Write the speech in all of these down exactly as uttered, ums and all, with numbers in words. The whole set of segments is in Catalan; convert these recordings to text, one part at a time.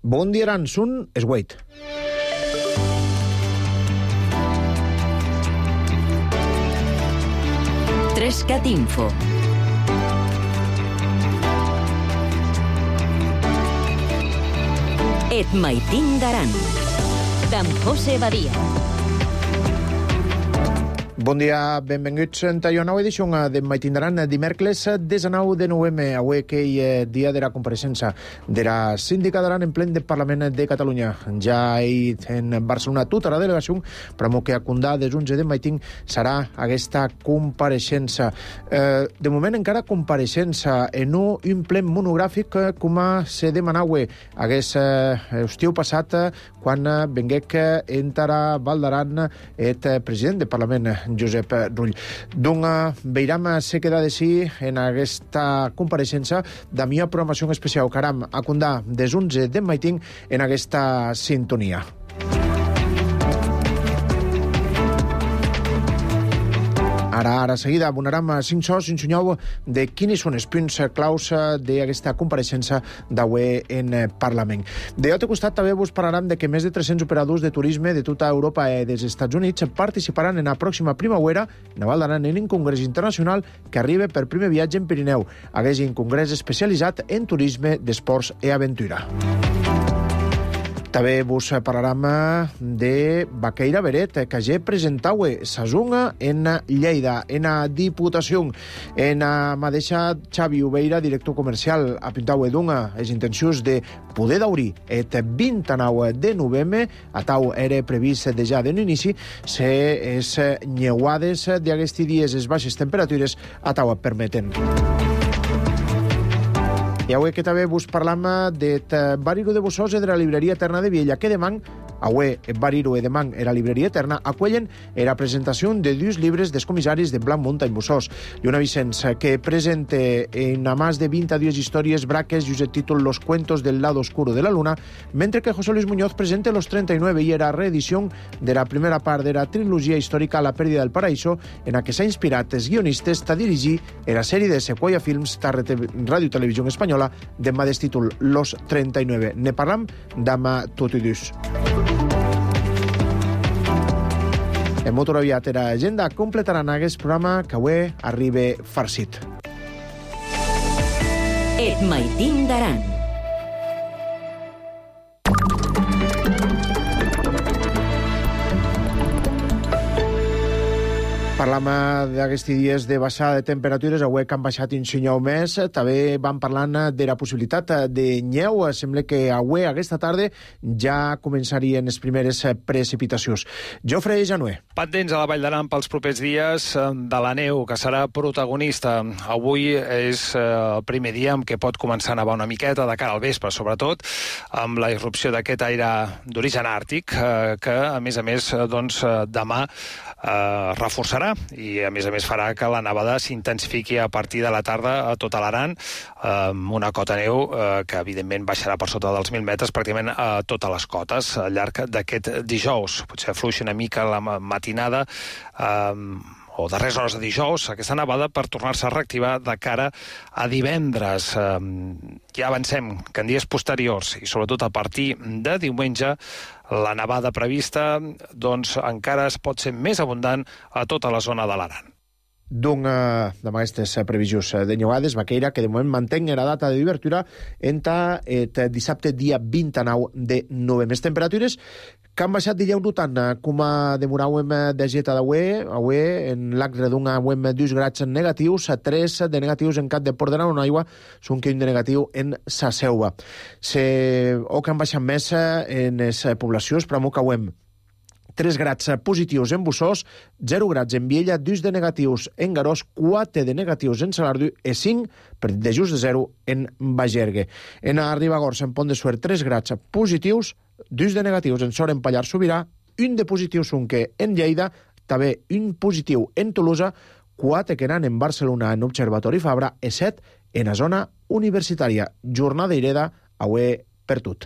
Bon dia, Aran, sun Esgueit. Trescat Info. Et maitin d'Aran, d'en José Badia. Bon dia, benvinguts a una nova edició de Maitin d'Aran, dimecres dinou de novembre, avui que és dia de la compareixença de la síndica d'Aran en plen del Parlament de Catalunya. Ja hi en Barcelona tota la delegació, però que a Condà des onze de Maitin serà aquesta compareixença. Eh, de moment encara compareixença en un plen monogràfic com se demanava hagués eh, estiu passat quan venguec entara Val d'Aran el president del Parlament, Josep Rull. Doncs veiram se queda de sí en aquesta compareixença de mi programació especial Caram a Condà des onze de Maitin en aquesta sintonia. Ara, ara seguida, abonarem cinc sos, cinc sunyau de quins són els punts claus d'aquesta compareixença d'avui en Parlament. De l'altre costat també vos parlarem de que més de tres-cents operadors de turisme de tota Europa i dels Estats Units participaran en la pròxima primavera en Val d'Aran en un congrés internacional que arriba per primer viatge en Pirineu. Hagués un congrés especialitzat en turisme, d'esports i aventura. També vos parlarem de Baqueira Beret, que ja presentava sa zunga en Lleida, en la Diputació. En la mateixa Xavi Ubeira, director comercial, apintava d'una les intencions de poder d'obrir el vint-i-nou de novembre, a tau era previst de ja de l'inici, se es nyeuades d'aquests dies, les baixes temperatures, a tau permeten. I avui que també vos parlam del Bariru de Bossòs i de la Libreria Eterna de Viella, que demà, avui el Bariru i demà en la Libreria Eterna, acuellen la presentació de dos llibres dels comissaris de Blanc Muntany Bossòs. I una Vicenç que presenta en a més de vint a diez històries braques i el títol Los cuentos del lado oscuro de la luna, mentre que José Luis Muñoz presenta Los treinta y nueve i era reedició de la primera part de la trilogia històrica La pèrdida del paraíso, en la que s'ha inspirat els guionistes a dirigir la sèrie de Sequoia Films de Ràdio Televisió Espanyola de mateix títol Los treinta y nueve. Ne parlam demà tot i dus. En molt aviat era agenda completaran aquest programa que avui arriba farcit. Et maitin d'Aran. Parlam d'aquests dies de baixada de temperatures, avui que han baixat un senyal més, també vam parlant de la possibilitat de nyeu. Sembla que avui, aquesta tarda, ja començarien les primeres precipitacions. Jofre Januer. Pendents a la Vall d'Aran pels propers dies de la neu, que serà protagonista. Avui és el primer dia en què pot començar a nevar una miqueta, de cara al vespre, sobretot, amb la irrupció d'aquest aire d'origen àrtic, que, a més a més, doncs, demà eh, reforçarà i a més a més farà que la nevada s'intensifiqui a partir de la tarda a tota l'Aran, amb una cota neu eh, que evidentment baixarà per sota dels mil metres pràcticament a totes les cotes al llarg d'aquest dijous. Potser afluixa una mica la matinada eh, o darreres hores de dijous, aquesta nevada per tornar-se a reactivar de cara a divendres. Eh, ja avancem que en dies posteriors i sobretot a partir de diumenge la nevada prevista doncs, encara es pot ser més abundant a tota la zona de l'Aran. Doncs, amb aquestes previsions de nyeuades, Baqueira, que de moment mantenc la data d'obertura entre el dissabte dia vint-i-nou de novembre. Les temperatures que han baixat dilluns tant com demoràvem de geta d'avui. Avui, en l'acre d'un avui dos grads negatius, tres de negatius en Cap de Port d'Aran, on aigua són que un de negatiu en sa Selva. Se, o que han baixat més en les poblacions, però que avui tres grads positius en Bossòs, zero grads en Viella, dos de negatius en Garòs, quatre de negatius en Salardu i cinc de just de zero en Bagergue. En Ribagorça, en Pont de Suert, tres grads positius, dos de negatius en Sora, en Pallars Sobirà, un de positius Sunque en Lleida, també un positiu en Tolosa, quatre que eren en Barcelona en Observatori Fabra i set en la zona universitària. Jornada ireda, avui per tot.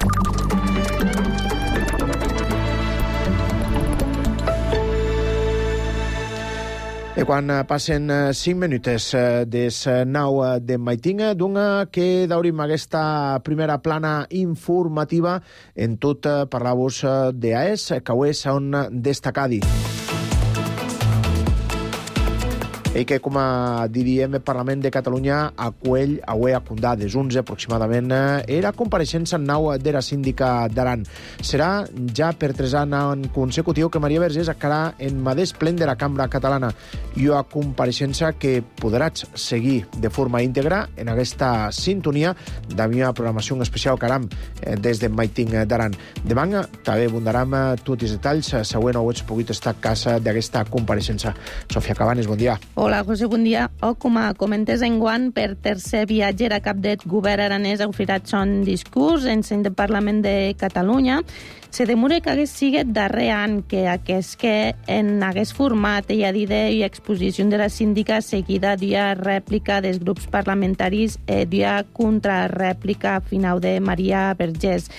E quan passen cinc minuts des nou de maitinga, doncs que daurim aquesta primera plana informativa en tot parlar-vos d'A E S, que avui són destacadi. I que, com diríem, el Parlament de Catalunya acull avui a Condà, des onze aproximadament, era compareixença en nau de la síndica d'Aran. Serà ja per tres anys consecutiu que Maria Vergés acarà en madeix plen de la Cambra Catalana i una compareixença que podràs seguir de forma íntegra en aquesta sintonia de la meva programació especial caram des de Maiting d'Aran. Demà també abundaram tots els detalls següent ho ets pogut estar a casa d'aquesta compareixença. Sofia Cabanes, bon dia. Hola, José, bon dia. O com a comentes enguant, per tercer viatge a cap del govern aranès ha oferat son discurs en seny del Parlament de Catalunya. Se demora que hagués sigut darrer any que aquest que en hagués format i a d'idea i exposició de la síndica seguida d'una rèplica dels grups parlamentaris i d'una contrarèplica final de Maria Vergés.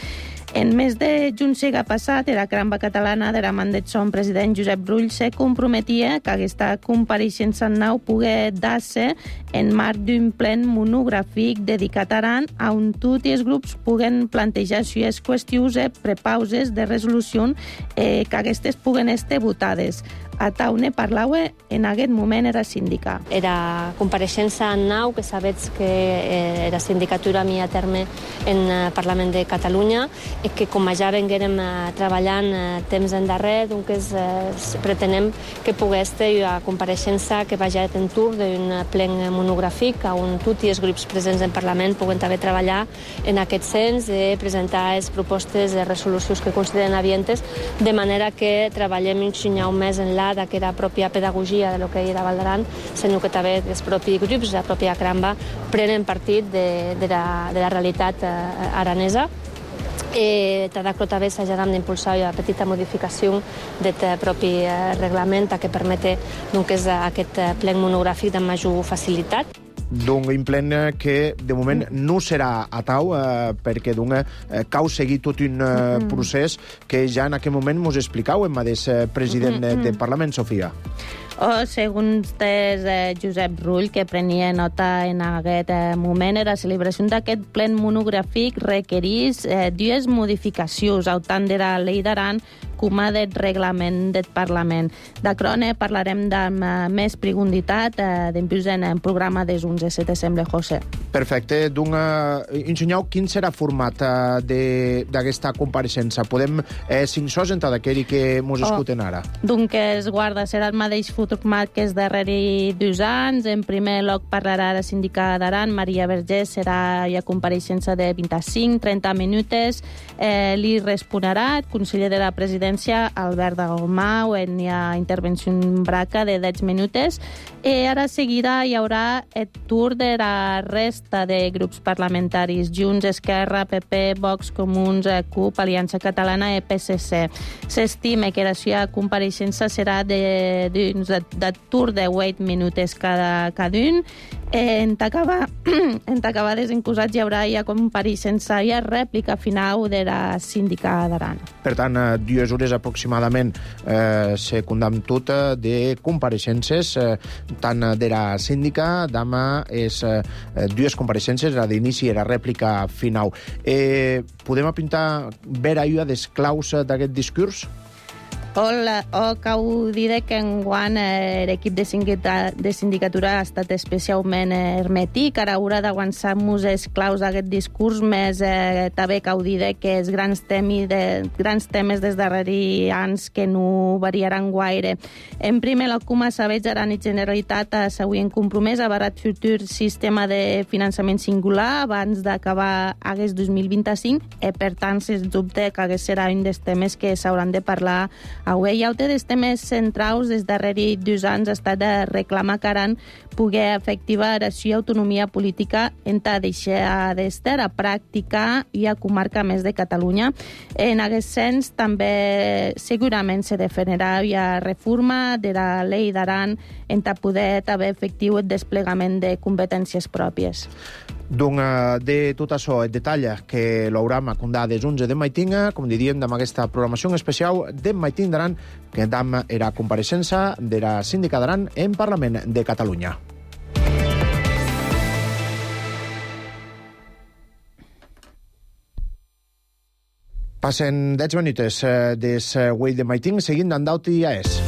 En mes de juny passat, la Cambra Catalana de la man del son president Josep Rull se comprometia que aquesta compareixença en nau pogués dar-se en marc d'un plen monogràfic dedicat a Aran, on tots els grups puguen plantejar les qüestions i prepauses de resolució eh, que aquestes puguen estar votades. A taune parlava en aquest moment era síndica. Era compareixença en nau, que sabets que eh, era sindicatura mi a terme en eh, Parlament de Catalunya i que com ja venguérem eh, treballant eh, temps endarrer, doncs eh, pretenem que pogués ter una compareixença que vagi en tur d'un plen monogràfic on tots els grups presents en Parlament puguen també treballar en aquest sens de presentar les propostes de resolucions que consideren avientes, de manera que treballem un xinyau més enllà que era pròpia pedagogia de lo que era Val d'Aran, sinó que també els propis grups, la pròpia Cramba, prenen partit de, de, la, de la realitat eh, aranesa. Eh, Tadacro també s'hajarà d'impulsar una petita modificació del propi eh, reglament que permete doncs, aquest plen monogràfic de major facilitat. D'un plen que de moment no serà a tau eh, perquè d'un eh, cau seguir tot un eh, procés que ja en aquest moment mos explicau en mateix eh, president mm-hmm. del Parlament, Sofia. O, segons des eh, Josep Rull, que prenia nota en aquest eh, moment, la celebració d'aquest plen monogràfic requereix eh, dues modificacions, tant de la llei d'Aran com a del reglament del Parlament. D'acrone parlarem amb eh, més profunditat eh, d'empús en el programa des onze, si te sembla, José. Perfecte. Doncs, eh, ensenyeu quin serà el format eh, d'aquesta compareixença. Podem eh, cinc sos entre d'aquell que mos escolten ara. Doncs que es guarda serà el mateix format que és darrere dos anys. En primer lloc parlarà la síndica d'Aran, Maria Vergés, serà ja compareixença de vint-i-cinc a trenta minuts. Eh, li respondrà el conseller de la presidència, Albert Dalmau, en una intervenció en braca de deu minuts. I ara seguida hi haurà el torn de la resta de grups parlamentaris, Junts, Esquerra, P P, Vox, Comuns, CUP, Aliança Catalana i P S C. S'estima que la seva compareixença serà de, de, de torn de vuit minuts cada, cada un. En t'acabar en t'acabar desencusats hi haurà ja compareixença i rèplica final de la síndica d'Aran. Per tant, dues hores aproximadament eh, se condamn tot de compareixences, eh, tant de la síndica, demà és eh, dues compareixences, la d'inici i la rèplica final. Eh, podem apuntar vera una des claus d'aquest discurs? O, la, o cal dir que enguany eh, l'equip de, de sindicatura ha estat especialment hermètic. Ara haurà d'avançar-nos els claus d'aquest discurs, més eh, també cal dir que els grans, temi de, grans temes des darrere anys que no variaran gaire. En primer lloc, com a sabets, Aran i Generalitat s'haurien compromès a barat futur sistema de finançament singular abans d'acabar aquest dos mil vint-i-cinc i, per tant, sens dubte que aquest serà un dels temes que s'hauran de parlar avui. I altre dels temes centrals des darrere dos anys ha estat de reclamar que Aran poder efectivar la seva autonomia política entre deixar d'estar a pràctica i a comarca més de Catalunya. En aquest sens, també segurament se definirà via reforma de la llei d'Aran entre poder haver efectiu el desplegament de competències pròpies. Doncs de tot això, el detall que l'hauram a contar des onze de maitinga, com diríem, amb aquesta programació especial de Maiting d'Aran, que dam era compareixença de la síndica d'Aran en Parlament de Catalunya. Passen deu minuts des Güell de Maiting, seguint d'Andauti i A E S.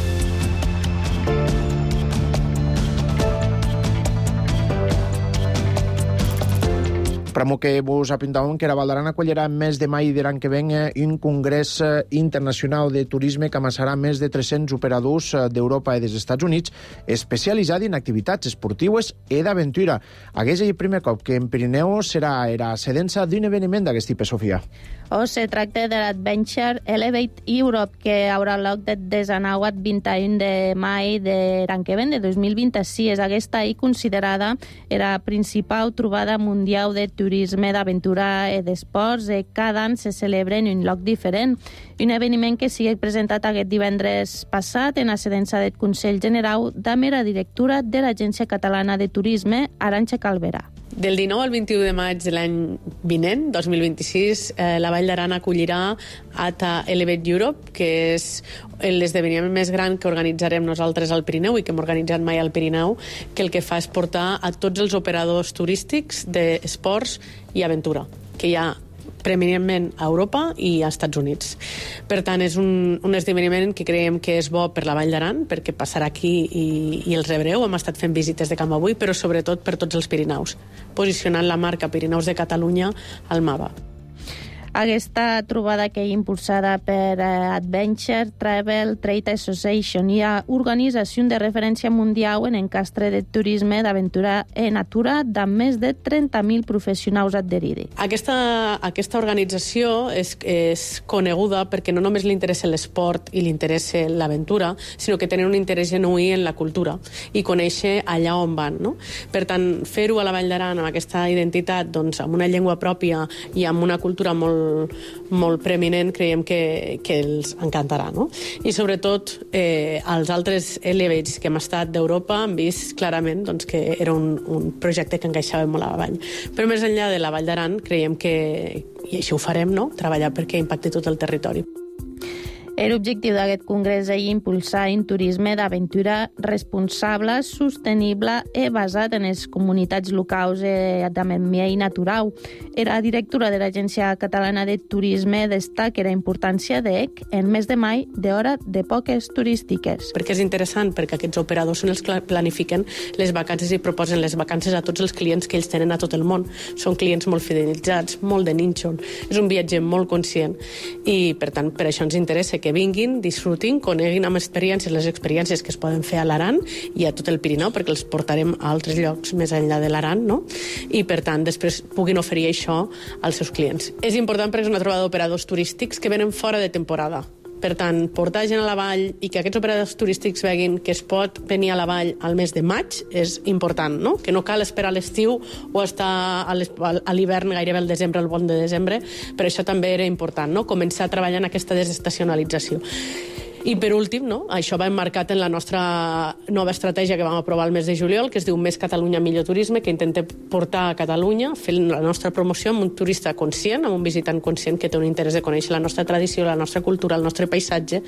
Pramo que vos apuntàvem que la Val d'Aran acollirà més de mai de l'any que ven un congrés internacional de turisme que amassarà més de tres-cents operadors d'Europa i dels Estats Units especialitzat en activitats esportives i d'aventura. Aquest és el primer cop que en Pirineu serà la sedença d'un esdeveniment d'aquest tipus, Sofia. O se tracta de l'Adventure Elevate Europe, que haurà lloc de desenou al vint-i-u de maig de l'any que ven, de dos mil vint-i-sis. Aquesta és considerada la principal trobada mundial de turisme, d'aventura i d'esports. Cada any se celebra en un lloc diferent. Un esdeveniment que sigui presentat aquest divendres passat en la sedença del Consell General de la directora de l'Agència Catalana de Turisme, Arantxa Calverà. Del dinou al vint-i-u de maig de l'any vinent, dos mil vint-i-sis, eh, la Vall d'Aran acollirà A T A Elevate Europe, que és l'esdeveniment més gran que organitzarem nosaltres al Pirineu i que hem organitzat mai al Pirineu, que el que fa és portar a tots els operadors turístics d'esports i aventura, que hi ha preeminentment a Europa i als Estats Units. Per tant, és un, un esdeveniment que creiem que és bo per la Vall d'Aran, perquè passarà aquí i, i els rebreu. Hem estat fent visites de camp avui, però sobretot per tots els Pirineus, posicionant la marca Pirineus de Catalunya al mapa. Aquesta trobada que és impulsada per Adventure Travel Trade Association i a organització de referència mundial en encastre de turisme, d'aventura i natura de més de trenta mil professionals adherits. Aquesta, aquesta organització és, és coneguda perquè no només li interessa l'esport i li interessa l'aventura, sinó que tenen un interès genuí en la cultura i conèixer allà on van. No? Per tant, fer-ho a la Vall d'Aran amb aquesta identitat, doncs, amb una llengua pròpia i amb una cultura molt molt preeminent, creiem que, que els encantarà, no? I sobretot eh, els altres Elevates que hem estat d'Europa han vist clarament doncs, que era un, un projecte que encaixava molt a la vall. Però més enllà de la Vall d'Aran creiem que, i això ho farem, no? Treballar perquè impacti tot el territori. L'objectiu d'aquest congrés és impulsar un turisme d'aventura responsable, sostenible i basat en les comunitats locals de medi natural. La directora de l'Agència Catalana de Turisme destaca la importància d'EC en mes de maig d'hora de poques turístiques. Perquè és interessant, perquè aquests operadors són els que planifiquen les vacances i proposen les vacances a tots els clients que ells tenen a tot el món. Són clients molt fidelitzats, molt de nínxol. És un viatger molt conscient i, per tant, per això ens interessa que vinguin, disfrutin, coneguin amb experiències les experiències que es poden fer a l'Aran i a tot el Pirineu, perquè els portarem a altres llocs més enllà de l'Aran, no? I, per tant, després puguin oferir això als seus clients. És important perquè és una trobada d'operadors turístics que venen fora de temporada. Per tant, portar gent a la vall i que aquests operadors turístics veguin que es pot venir a la vall al mes de maig és important, no? Que no cal esperar a l'estiu o estar a l'hivern, gairebé al desembre, al bon de desembre. Per això també era important, no? Començar a treballar en aquesta desestacionalització. I per últim, no? Això va emmarcat en la nostra nova estratègia que vam aprovar el mes de juliol, que es diu Més Catalunya, Millor Turisme, que intenta portar a Catalunya, fent la nostra promoció amb un turista conscient, amb un visitant conscient que té un interès de conèixer la nostra tradició, la nostra cultura, el nostre paisatge,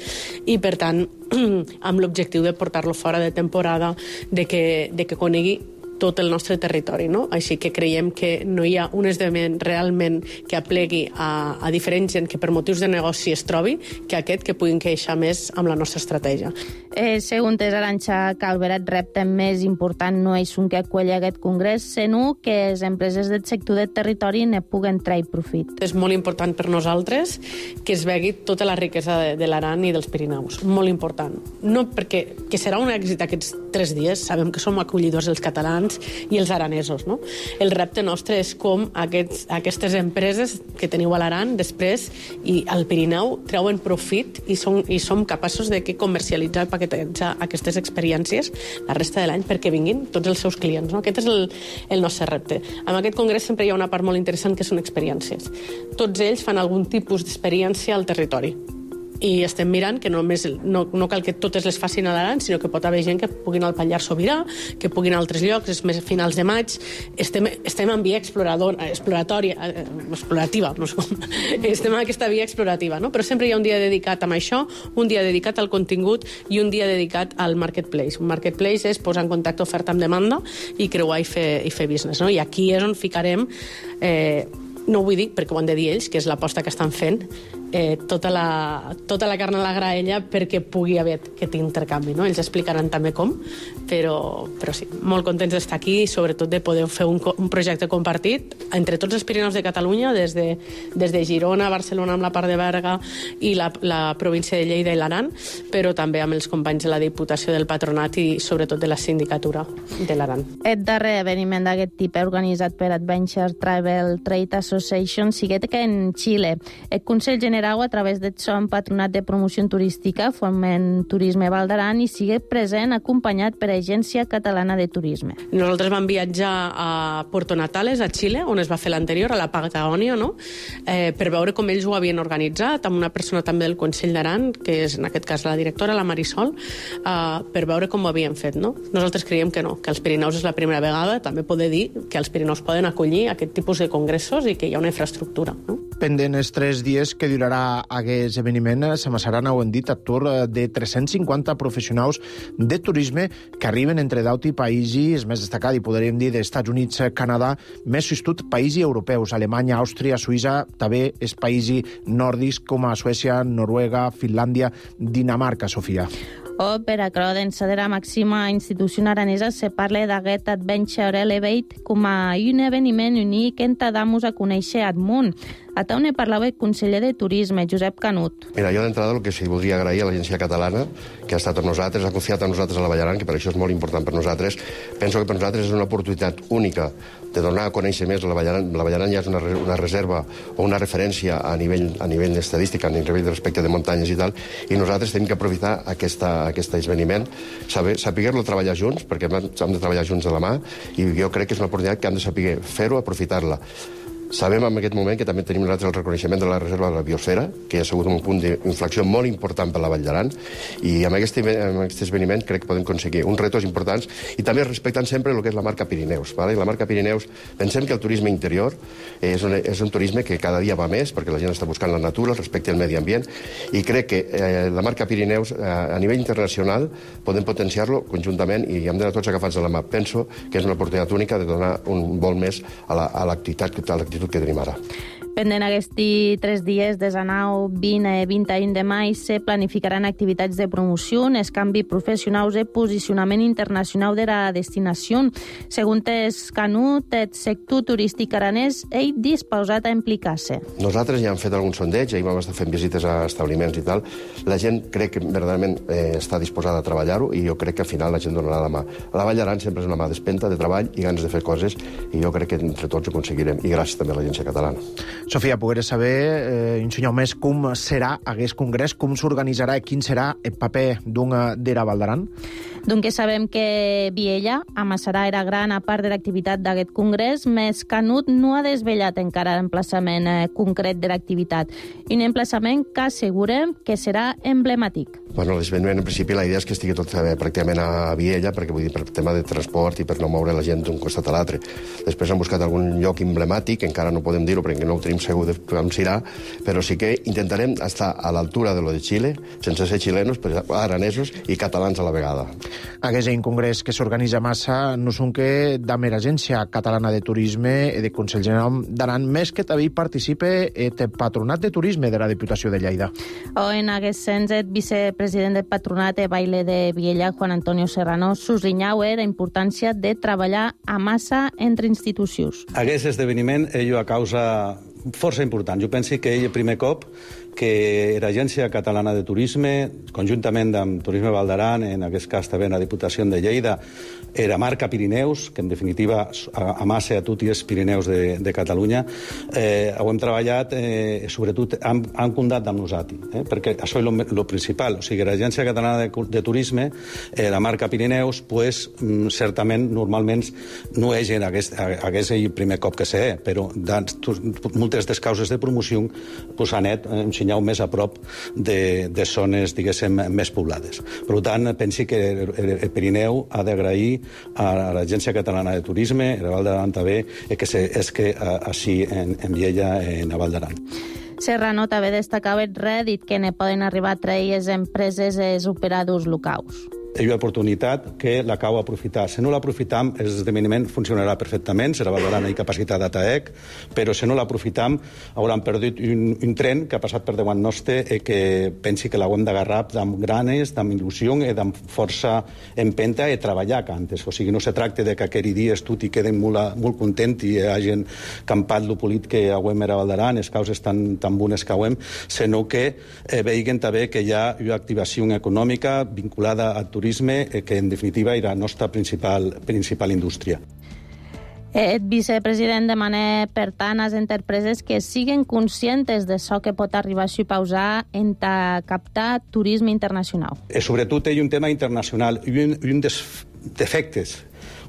i per tant, amb l'objectiu de portar-lo fora de temporada, de que, de que conegui tot el nostre territori, no? Així que creiem que no hi ha un esdeveniment realment que aplegui a, a diferent gent que per motius de negoci es trobi que aquest que puguin queixar més amb la nostra estratègia. Eh, segons Arantxa Calverà, el repte més important no és un que acolli aquest congrés, sinó que les empreses del sector del territori ne puguen treure profit. És molt important per nosaltres que es vegi tota la riquesa de, de l'Aran i dels Pirineus. Molt important. No perquè que serà un èxit aquests tres dies, sabem que som acollidors els catalans, catalans i els aranesos. No? El repte nostre és com aquests, aquestes empreses que teniu a l'Aran després i al Pirineu treuen profit i som, i som capaços de comercialitzar i paquetitzar aquestes experiències la resta de l'any perquè vinguin tots els seus clients. No? Aquest és el, el nostre repte. En aquest congrés sempre hi ha una part molt interessant que són experiències. Tots ells fan algun tipus d'experiència al territori. I estem mirant que només, no, no cal que totes les facin a l'Aran, sinó que pot haver gent que puguin al Pallars Sobirà, que puguin a altres llocs, és més a finals de maig. Estem, estem en via explorador, exploratòria, eh, explorativa, no sé com. Estem en aquesta via explorativa, no? Però sempre hi ha un dia dedicat a això, un dia dedicat al contingut i un dia dedicat al marketplace. Un marketplace és posar en contacte oferta amb demanda i creuar i fer, i fer business, no? I aquí és on ficarem... Eh, no ho vull dir perquè ho han de dir ells, que és l'aposta que estan fent, eh, tota, la, tota la carn a la graella perquè pugui haver aquest intercanvi. No? Ells explicaran també com, però, però sí, molt contents d'estar aquí i sobretot de poder fer un, un projecte compartit entre tots els Pirineus de Catalunya, des de, des de Girona, Barcelona amb la part de Berga i la, la província de Lleida i l'Aran, però també amb els companys de la Diputació del Patronat i sobretot de la Sindicatura de l'Aran. El darrer esdeveniment d'aquest tipus organitzat per Adventure Travel Trade Association siguet que en Xile. El Consell General a través del son Patronat de Promoció Turística Foment Turisme Val d'Aran i sigue present acompanyat per Agència Catalana de Turisme. Nosaltres vam viatjar a Puerto Natales, a Xile, on es va fer l'anterior, a la Patagònia, no? eh, per veure com ells ho havien organitzat, amb una persona també del Consell d'Aran, que és en aquest cas la directora, la Marisol, eh, per veure com ho havien fet. No? Nosaltres creiem que no, que els Pirineus és la primera vegada, també poder dir que els Pirineus poden acollir aquest tipus de congressos i que hi ha una infraestructura. No? Pendent els tres dies que durarà aquest esdeveniment, s'amassaran, ho hem dit, a tour de tres-cents cinquanta professionals de turisme que arriben entre deu països, més destacat, i podríem dir, d'Estats Units, Canadà, més sostut països europeus, Alemanya, Àustria, Suïssa, també els països nòrdics com a Suècia, Noruega, Finlàndia, Dinamarca, Sofia. O per a Crodensa de la màxima institució aranesa se parla d'aquest Adventure Elevate com a un esdeveniment únic en Tadamus a conèixer Admunt. A on parlava el conseller de Turisme, Josep Canut. Mira, jo d'entrada el que sí voldria agrair a l'Agència Catalana, que ha estat amb nosaltres, ha confiat en nosaltres a la Vall d'Aran, que per això és molt important per nosaltres. Penso que per nosaltres és una oportunitat única de donar a conèixer més la Vall d'Aran. La Vall d'Aran ja és una, una reserva o una referència a nivell, a nivell estadístic, a nivell de respecte de muntanyes i tal, i nosaltres tenim que aprofitar aquesta, aquest esdeveniment, saber, saber-lo treballar junts, perquè hem de treballar junts de la mà, i jo crec que és una oportunitat que hem de saber fer-ho, aprofitar-la. Sabem en aquest moment que també tenim nosaltres el reconeixement de la reserva de la biosfera, que ha sigut un punt d'inflexió molt important per la Vall d'Aran, i amb aquest, amb aquest esdeveniment crec que podem aconseguir uns retos importants i també respectant sempre el que és la marca Pirineus. ¿vale? La marca Pirineus, pensem que el turisme interior és un, és un turisme que cada dia va més, perquè la gent està buscant la natura, el respecte al medi ambient, i crec que eh, la marca Pirineus eh, a nivell internacional podem potenciar-lo conjuntament i hem d'anar tots agafats de la mà. Penso que és una oportunitat única de donar un vol més a l'activitat a l'activitat que tenim ara. Pendent aquests tres dies, des de nou, vint i vint i un de maig, se planificaran activitats de promoció, escanvi professionals i posicionament internacional de la destinació. Segons el Canut, el sector turístic aranès és disposat a implicar-se. Nosaltres ja hem fet algun sondeig, ahir vam estar fent visites a establiments i tal. La gent crec que verdaderament eh, està disposada a treballar-ho i jo crec que al final la gent donarà la mà. La Vall d'Aran sempre és una mà d'espenta, de treball i ganes de fer coses i jo crec que entre tots ho aconseguirem. I gràcies també a l'Agència Catalana. Sofia, pogueres saber, eh, ensenyar més com serà aquest congrés, com s'organitzarà i quin serà el paper d'una d'era Val d'Aran? Doncs sabem que Viella amassarà era gran a part de l'activitat d'aquest congrés, més Canut no ha desvetllat encara l'emplaçament eh, concret de l'activitat. Un emplaçament que assegurem que serà emblemàtic. Bueno, l'esdeveniment, en principi, la idea és que estigui tot eh, pràcticament a Viella, perquè vull dir, per tema de transport i per no moure la gent d'un costat a l'altre. Després hem buscat algun lloc emblemàtic, encara no podem dir-ho perquè no ho tenim segur de com serà, però sí que intentarem estar a l'altura de lo de Xile, sense ser xilenos, però aranesos i catalans a la vegada. Aquest és un congrés que s'organitza massa, no són que de mera Agència Catalana de Turisme i de Consell General d'Aran, més que també hi participa el Patronat de Turisme de la Diputació de Lleida. O en aquest sens, el vicepresident del Patronat de Baile de Viella, Juan Antonio Serrano, sublinhau la importància de treballar a massa entre institucions. Aquest esdeveniment és una causa força important. Jo penso que ell, el primer cop, que l'Agència Catalana de Turisme, conjuntament amb Turisme Val d'Aran, en aquest cas també la Diputació de Lleida, era marca Pirineus, que en definitiva amassa a tots els Pirineus de, de Catalunya, eh, ho hem treballat, eh, sobretot han, han comptat amb nosaltres, eh, perquè això és el principal. O sigui, l'Agència Catalana de, de Turisme, eh, la marca Pirineus, pues, mm, certament, normalment, no és en aquest, aquest el primer cop que sé, però dans, moltes des causes de promoció pues, han anat un senyal més a prop de, de zones, diguéssim, més poblades. Per tant, pensi que el, el Pirineu ha d'agrair a l'Agència Catalana de Turisme, a la Val d'Aran també, que se, és que així en, en Viella, en la Val d'Aran. Serrano també destacava el rèdit que ne poden arribar a treure les empreses i els operadors locals. És una oportunitat que la cau aprofitar. Si no l'aprofitam, l'esdeveniment funcionarà perfectament, serà valorant la capacitat d'A T A E C, però si no l'aprofitam, hauran perdut un, un tren que ha passat per davant nostre i que pensi que l'haurem d'agarrar amb ganes, amb il·lusió i amb força empenta i treballar cantes. O sigui, no se tracta de que aquell dia tot i queden molt, molt content i hagin campat el polit que hauem a Val d'Aran, les causes tan, tan bones que hauem, sinó que eh, veiguen també que hi ha una activació econòmica vinculada al turisme que en definitiva era la nostra principal, principal indústria. El vicepresident demana, per tant, a les empreses que siguin conscients de això que pot arribar a suposar en captar turisme internacional. I sobretot hi ha un tema internacional i un, un dels defectes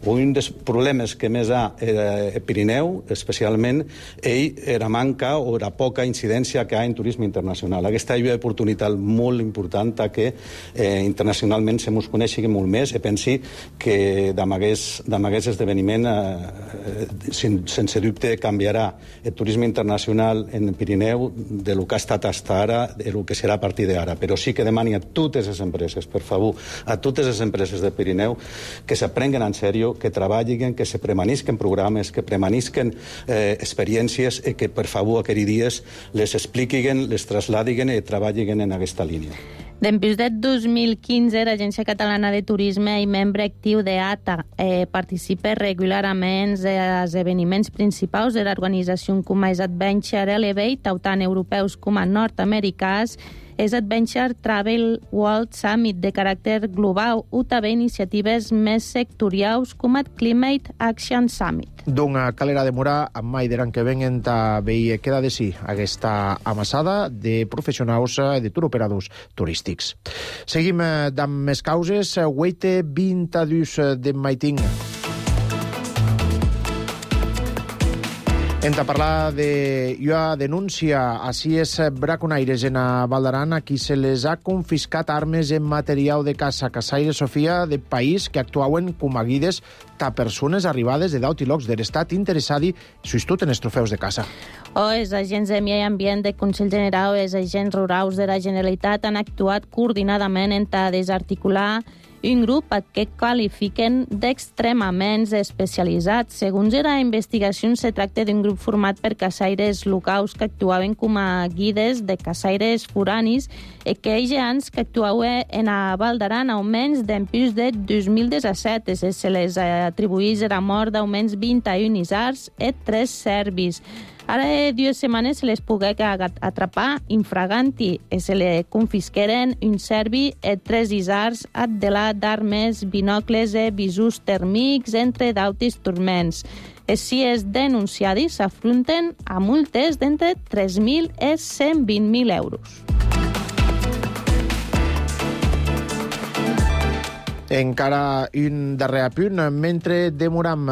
o un dels problemes que més ha el Pirineu, especialment, ell era manca o era poca incidència que hi ha en turisme internacional. Aquesta és una oportunitat molt important que eh, internacionalment se mos coneixi molt més i pensi que amb aquest esdeveniment eh, sen, sense dubte canviarà el turisme internacional en el Pirineu de lo que ha estat fins ara, de lo que serà a partir d'ara. Però sí que demani a totes les empreses, per favor, a totes les empreses del Pirineu que s'aprenguen en sèrio, que treballin, que se premanisquen programes, que premanisquen eh, experiències i que, per favor, aquells dies les expliquin, les trasladin i treballin en aquesta línia. Després del dos mil quinze, l'Agència Catalana de Turisme i membre actiu d'A T A eh, participa regularment als esdeveniments principals de l'organització com és Adventure Elevate, tant europeus com nord-americans, és Adventure Travel World Summit de caràcter global o també iniciatives més sectorials com el Climate Action Summit. D'una calera de morar amb mai d'an que venguen ta veia queda de si aquesta amassada de professionals de turoperadors turístics. Seguim amb més causes. Weite vint-a-dos de maiting. Hem de parlar de una denúncia a cies braconaires en a Val d'Aran a qui se les ha confiscat armes en material de caça. Caçaire Sofia, de país que actuaven com a guides a persones arribades de daut i locs de l'estat interessadi sustot en els trofeus de caça. O els agents de Medi Ambient de Consell General o els agents rurals de la Generalitat han actuat coordinadament en a desarticular un grup que qualifiquen d'extremament especialitzat. Segons la investigació, se tracta d'un grup format per caçaires locals que actuaven com a guides de caçaires foranis i que ells anys que actuaven en a Val d'Aran almenys d'empús de dos mil disset. Se les atribuïs la mort d'almenys vint-i-un isars i tres serbis. Ara de dues setmanes se les pogué atrapar infraganti i se li confisqueren un serbi i tres isars addelat d'armes, binocles i visus tèrmics, entre d'altres turments. Si els denunciadis s'afronten a multes d'entre tres mil i cent vint mil euros. Encara un darrer apunt. Mentre demoram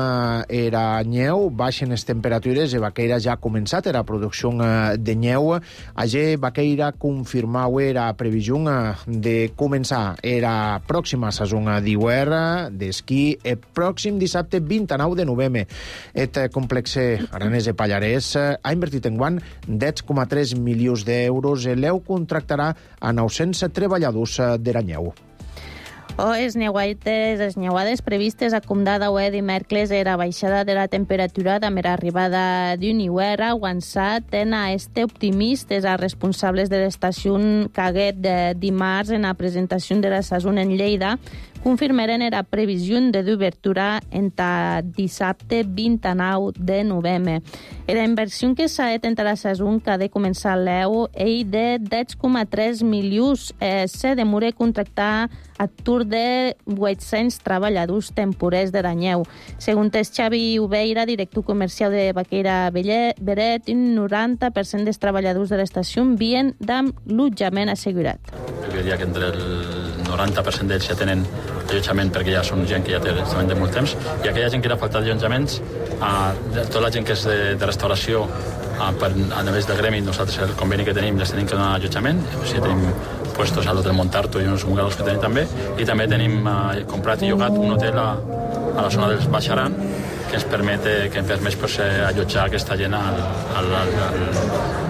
era nyeu, baixen les temperatures i Baqueira ja ha començat la producció de nyeu. Allí Baqueira confirmau la previsió de començar la pròxima saison d'hivern d'esquí el pròxim dissabte vint-i-nou de novembre. El complex aranès de Pallarès ha invertit enguany deu coma tres milions d'euros i l'Eu contractarà a nou-cents treballadors de la nyeu. O les neuades, les neuades previstes a Comdada o dimecres era baixada de la temperatura amb l'arribada d'un hivern avançat en a este optimistes a responsables de l'estació Caguet de dimarts en la presentació de la saison en Lleida, confirmaren la previsió de d'obertura entre dissabte vint-i-nou de novembre. La inversió que s'ha fet entre la saison que ha de començar l'E U és de deu coma tres milions. Eh, se demora contractar a tour de vuit-cents treballadors temporers de Danyeu. Segons Xavi Ubeira, director comercial de Baqueira Beret, un noranta per cent dels treballadors de l'estació vien amb l'allotjament assegurat. Jo diria que entre el noranta per cent d'ells ja tenen allotjament perquè ja són gent que ja té allotjament de molt temps, i aquella gent que era faltat d'allotjaments, eh, tota la gent que és de, de restauració, eh, per, a nivell del gremi, nosaltres el conveni que tenim les tenim que donar allotjament, o sigui, tenim puestos a l'hotel Montarto i uns bungalows que tenim també, i també tenim eh, comprat i llogat un hotel a, a la zona dels Baixaran, que ens permet, que ens permet pues, allotjar aquesta gent al, al, al,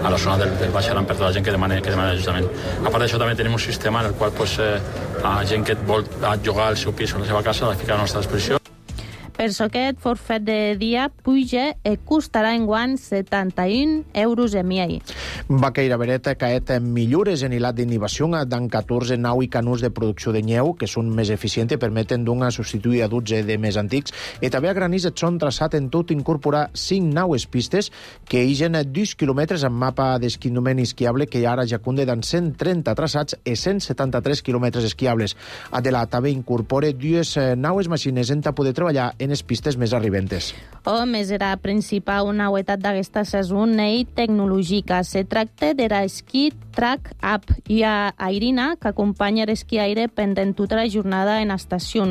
a la zona del, del Baixaran per tota la gent que demana, que demana allotjament. A part d'això també tenim un sistema en el qual pues, eh, a gent que vol llogar el seu pis o la seva casa la fica a la nostra disposició. Per això aquest forfet de dia puja i costarà enguany setanta-un euros en miei. Baqueira Beret ha caet millores en hilat d'innovació d'en catorze nau i canus de producció de nyeu, que són més eficients i permeten d'una substituir a dotze de més antics, i també a Granís et són traçat en tot incorporar cinc naues pistes que higen dos quilòmetres amb mapa d'esquinament esquiable que ara ja conde d'en cent trenta traçats i cent setanta-tres quilòmetres esquiables. Adela també incorpora dues naues màquines en poder treballar en les pistes més arribentes. O més era principal una novetat d'aquesta saison i tecnològica. Se tracta de l'esquí Track App i a Airina, que acompanya l'esquí aire pendent tota la jornada en estació.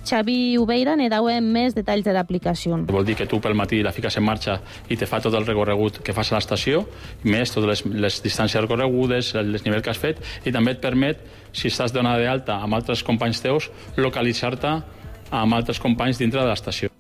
Xavi Ubeira ne dau més detalls de l'aplicació. Vol dir que tu pel matí la fiques en marxa i te fa tot el recorregut que fas a l'estació, més totes les, les distàncies recorregudes, el desnivell que has fet, i també et permet, si estàs donada d'alta amb altres companys teus, localitzar-te amb altres companys dintre de l'estació.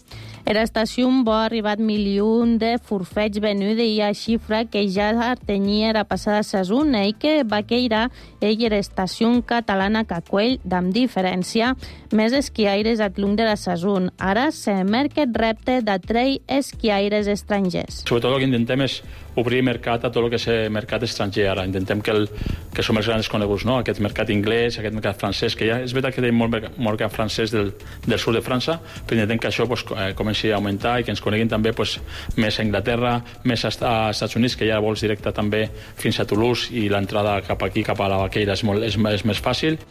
En l'estació va arribar milions de forfets venuts i a xifra que ja tenia la passada saison i que Baqueira és l'estació catalana que acull, amb diferència, més esquiaires a long de la saison. Ara se merca el repte d'atreure esquiaires estrangers. Sobretot el que intentem és obrir mercat a tot el que és mercat estranger ara. Intentem que, el, que som els grans coneguts, no? Aquest mercat anglès, aquest mercat francès, que ja és veritat que tenim molt mercat francès del, del sud de França, però intentem que això pues, comenci a augmentar i que ens coneguin també pues, més a Anglaterra, més a Estats Units, que hi ha vols directe també fins a Toulouse, i l'entrada cap aquí, cap a la Baqueira, és, molt, és, és més fàcil.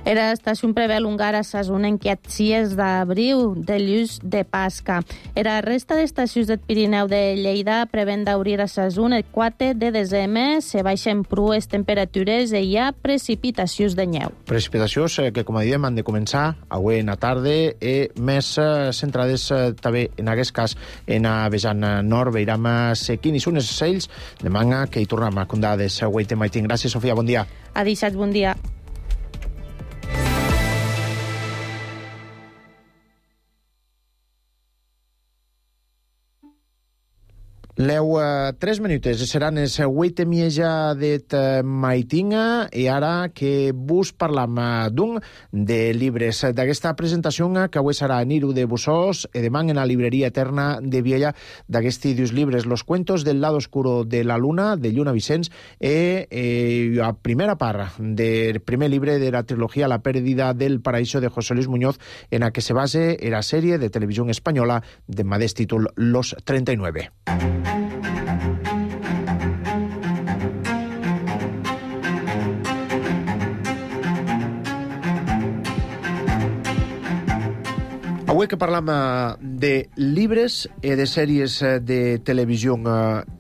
L'estació prevé alongar la saison en aquest sis d'abril de llus de Pasca. La resta d'estacions del Pirineu de Lleida prevén d'obrir la saison el quatre de desembre. Se baixen prues temperatures i hi ha precipitacions de neu. Precipitacions que, com a diem, han de començar avui en la tarda i més centrades també, en aquest cas, en a vessant nord, veiram sequint i sunes cells de manga que hi tornem a condar de següent tema. Gràcies, Sofia, bon dia. Ha deixat bon dia. Leu uh, tres minutes, seran els vuit i mitja de maitinga, i ara que vos parlam d'un de llibres d'aquesta presentació que avui serà a Niru de Busós i demà en la libreria Eterna de Viella d'aquests dos llibres, Los cuentos del lado oscuro de la luna, de Lluna Vicens, i eh, la primera part del primer llibre de la trilogia La pérdida del paraíso de José Luis Muñoz, en la que se base en la sèrie de televisió espanyola de modest títol Los treinta y nueve. Avui que parlam de llibres i de sèries de televisió,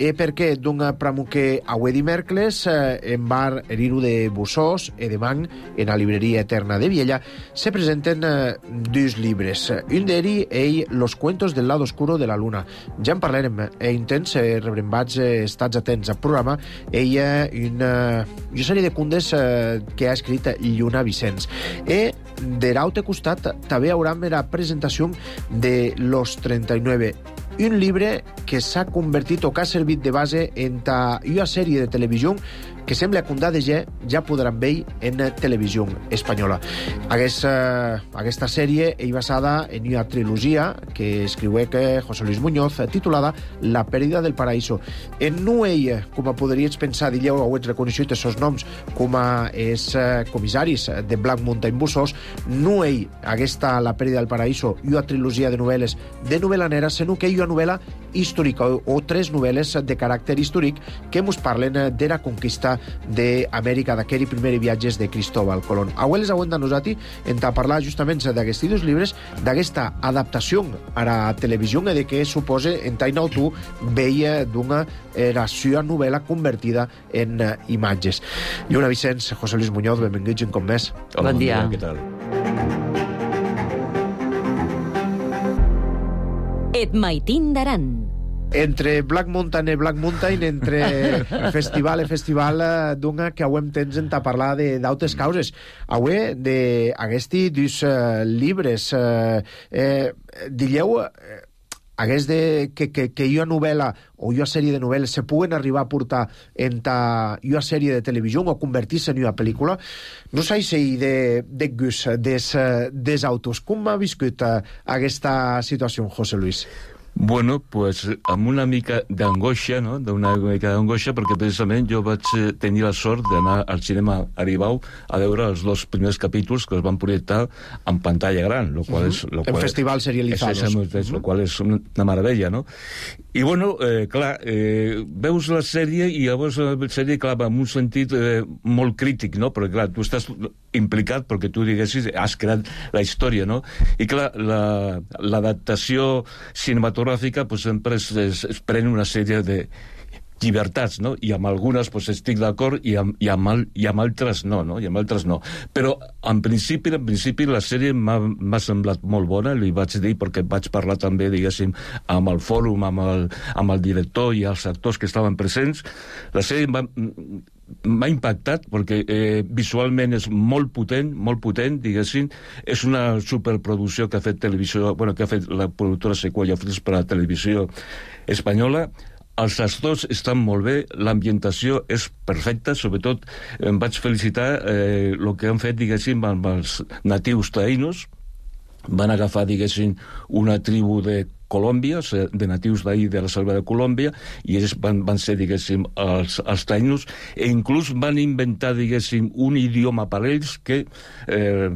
i per què d'un pramo que avui dimecres en bar Eriru de Busós i demà en la libreria Eterna de Viella se presenten dos llibres. Un d'ells és Los cuentos del lado oscuro de la luna. Ja en parlarem, e intents rebrembats, estats atents al programa, ella una, una sèrie de contes que ha escrit Lluna Vicens. I de l'altre costat també haurem la presentació de Los treinta y nueve, un llibre que s'ha convertit o que ha servit de base en una sèrie de televisió que sembla que un de ja, ja podran veure en televisió espanyola. Aquesta, aquesta sèrie és basada en una trilogia que escriué que José Luis Muñoz, titulada La pèrdida del paraíso. En no ell, com podries pensar, dilleu, ho ets reconeixut els seus noms, com a és comissaris de Black Mountain Bussos, no ell, aquesta La pèrdida del paraíso, i una trilogia de novel·les de novel·la nera, sinó que hi ha una novel·la històrica o, o tres novel·les de caràcter històric que ens parlen de la conquista d'Amèrica, d'aquells primers viatges de Cristóbal Colón. Avui les hauem de nosaltres en parlar justament d'aquests dos llibres, d'aquesta adaptació a la televisió i de què suposa en Tainau tu veia d'una eració novel·la convertida en uh, imatges. Lluna Vicenç, José Luis Muñoz, benvinguts un cop més. Hola, bon dia. Què tal? Et maitin d'aran. Entre Black Mountain i Black Mountain, entre festival i festival, d'una que avui temps en parlar d'altres causes. Avui, d'aquests dos uh, llibres, uh, eh, digueu, uh, hagués de, que, que, que una novel·la o una sèrie de novel·les se puguen arribar a portar en ta, una sèrie de televisió o convertir-se en una pel·lícula, no sé si de, de gust des, des autors. Com ha viscut uh, aquesta situació, José Luis? Bueno, pues amb una mica d'angoixa, no? D'una mica d'angoixa, perquè precisament jo vaig tenir la sort d'anar al cinema Aribau a veure els dos primers capítols que es van projectar en pantalla gran, lo qual és... Lo en qual festivals serializados. És, és, és, lo qual és una meravella, no? I, bueno, eh, clar, eh, veus la sèrie i llavors la sèrie, clar, en un sentit eh, molt crític, no? Perquè, clar, tu estàs implicat perquè tu, diguessis, has creat la història, no? I, clar, l'adaptació la, cinematogràfica pues, sempre es, es, es pren una sèrie de llibertats, no? I amb algunes pues, estic d'acord i, amb, i, amb, i amb altres no, no? I amb altres no. Però, en principi, en principi la sèrie m'ha semblat molt bona, li vaig dir, perquè vaig parlar també, diguéssim, amb el fòrum, amb el, amb el director i els actors que estaven presents. La sèrie m'ha m'ha impactat perquè eh, visualment és molt potent, molt potent, diguéssim. És una superproducció que ha fet televisió, bueno, que ha fet la productora Sequoia Films per a la televisió espanyola. Els actors estan molt bé, l'ambientació és perfecta, sobretot em vaig felicitar eh, el que han fet, diguéssim, amb els natius taïnos. Van agafar, diguéssim, una tribu de Colòmbia, de natius d'ahir de la selva de Colòmbia, i ells van, van ser, diguéssim, els, els taïnos, e inclús van inventar, diguéssim, un idioma per ells que eh,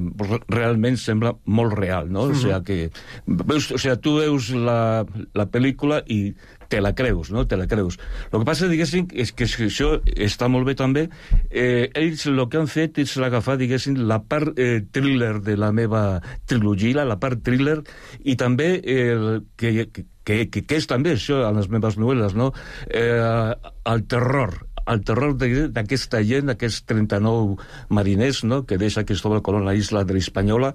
realment sembla molt real, no? Mm-hmm. O sigui que veus, o sigui, tu veus la, la pel·lícula i te la creus, no? Te la creus. El que passa, diguéssim, és que això està molt bé també. Eh, ells el que han fet és agafar, diguéssim, la part eh, thriller de la meva trilogia, la part thriller, i també eh, que, que, que, que és també això en les meves novel·les, no? Eh, el terror. El terror d'aquesta gent, d'aquests trenta-nou mariners, no?, que deixa Cristóbal Colón a la isla de l'Hispaniola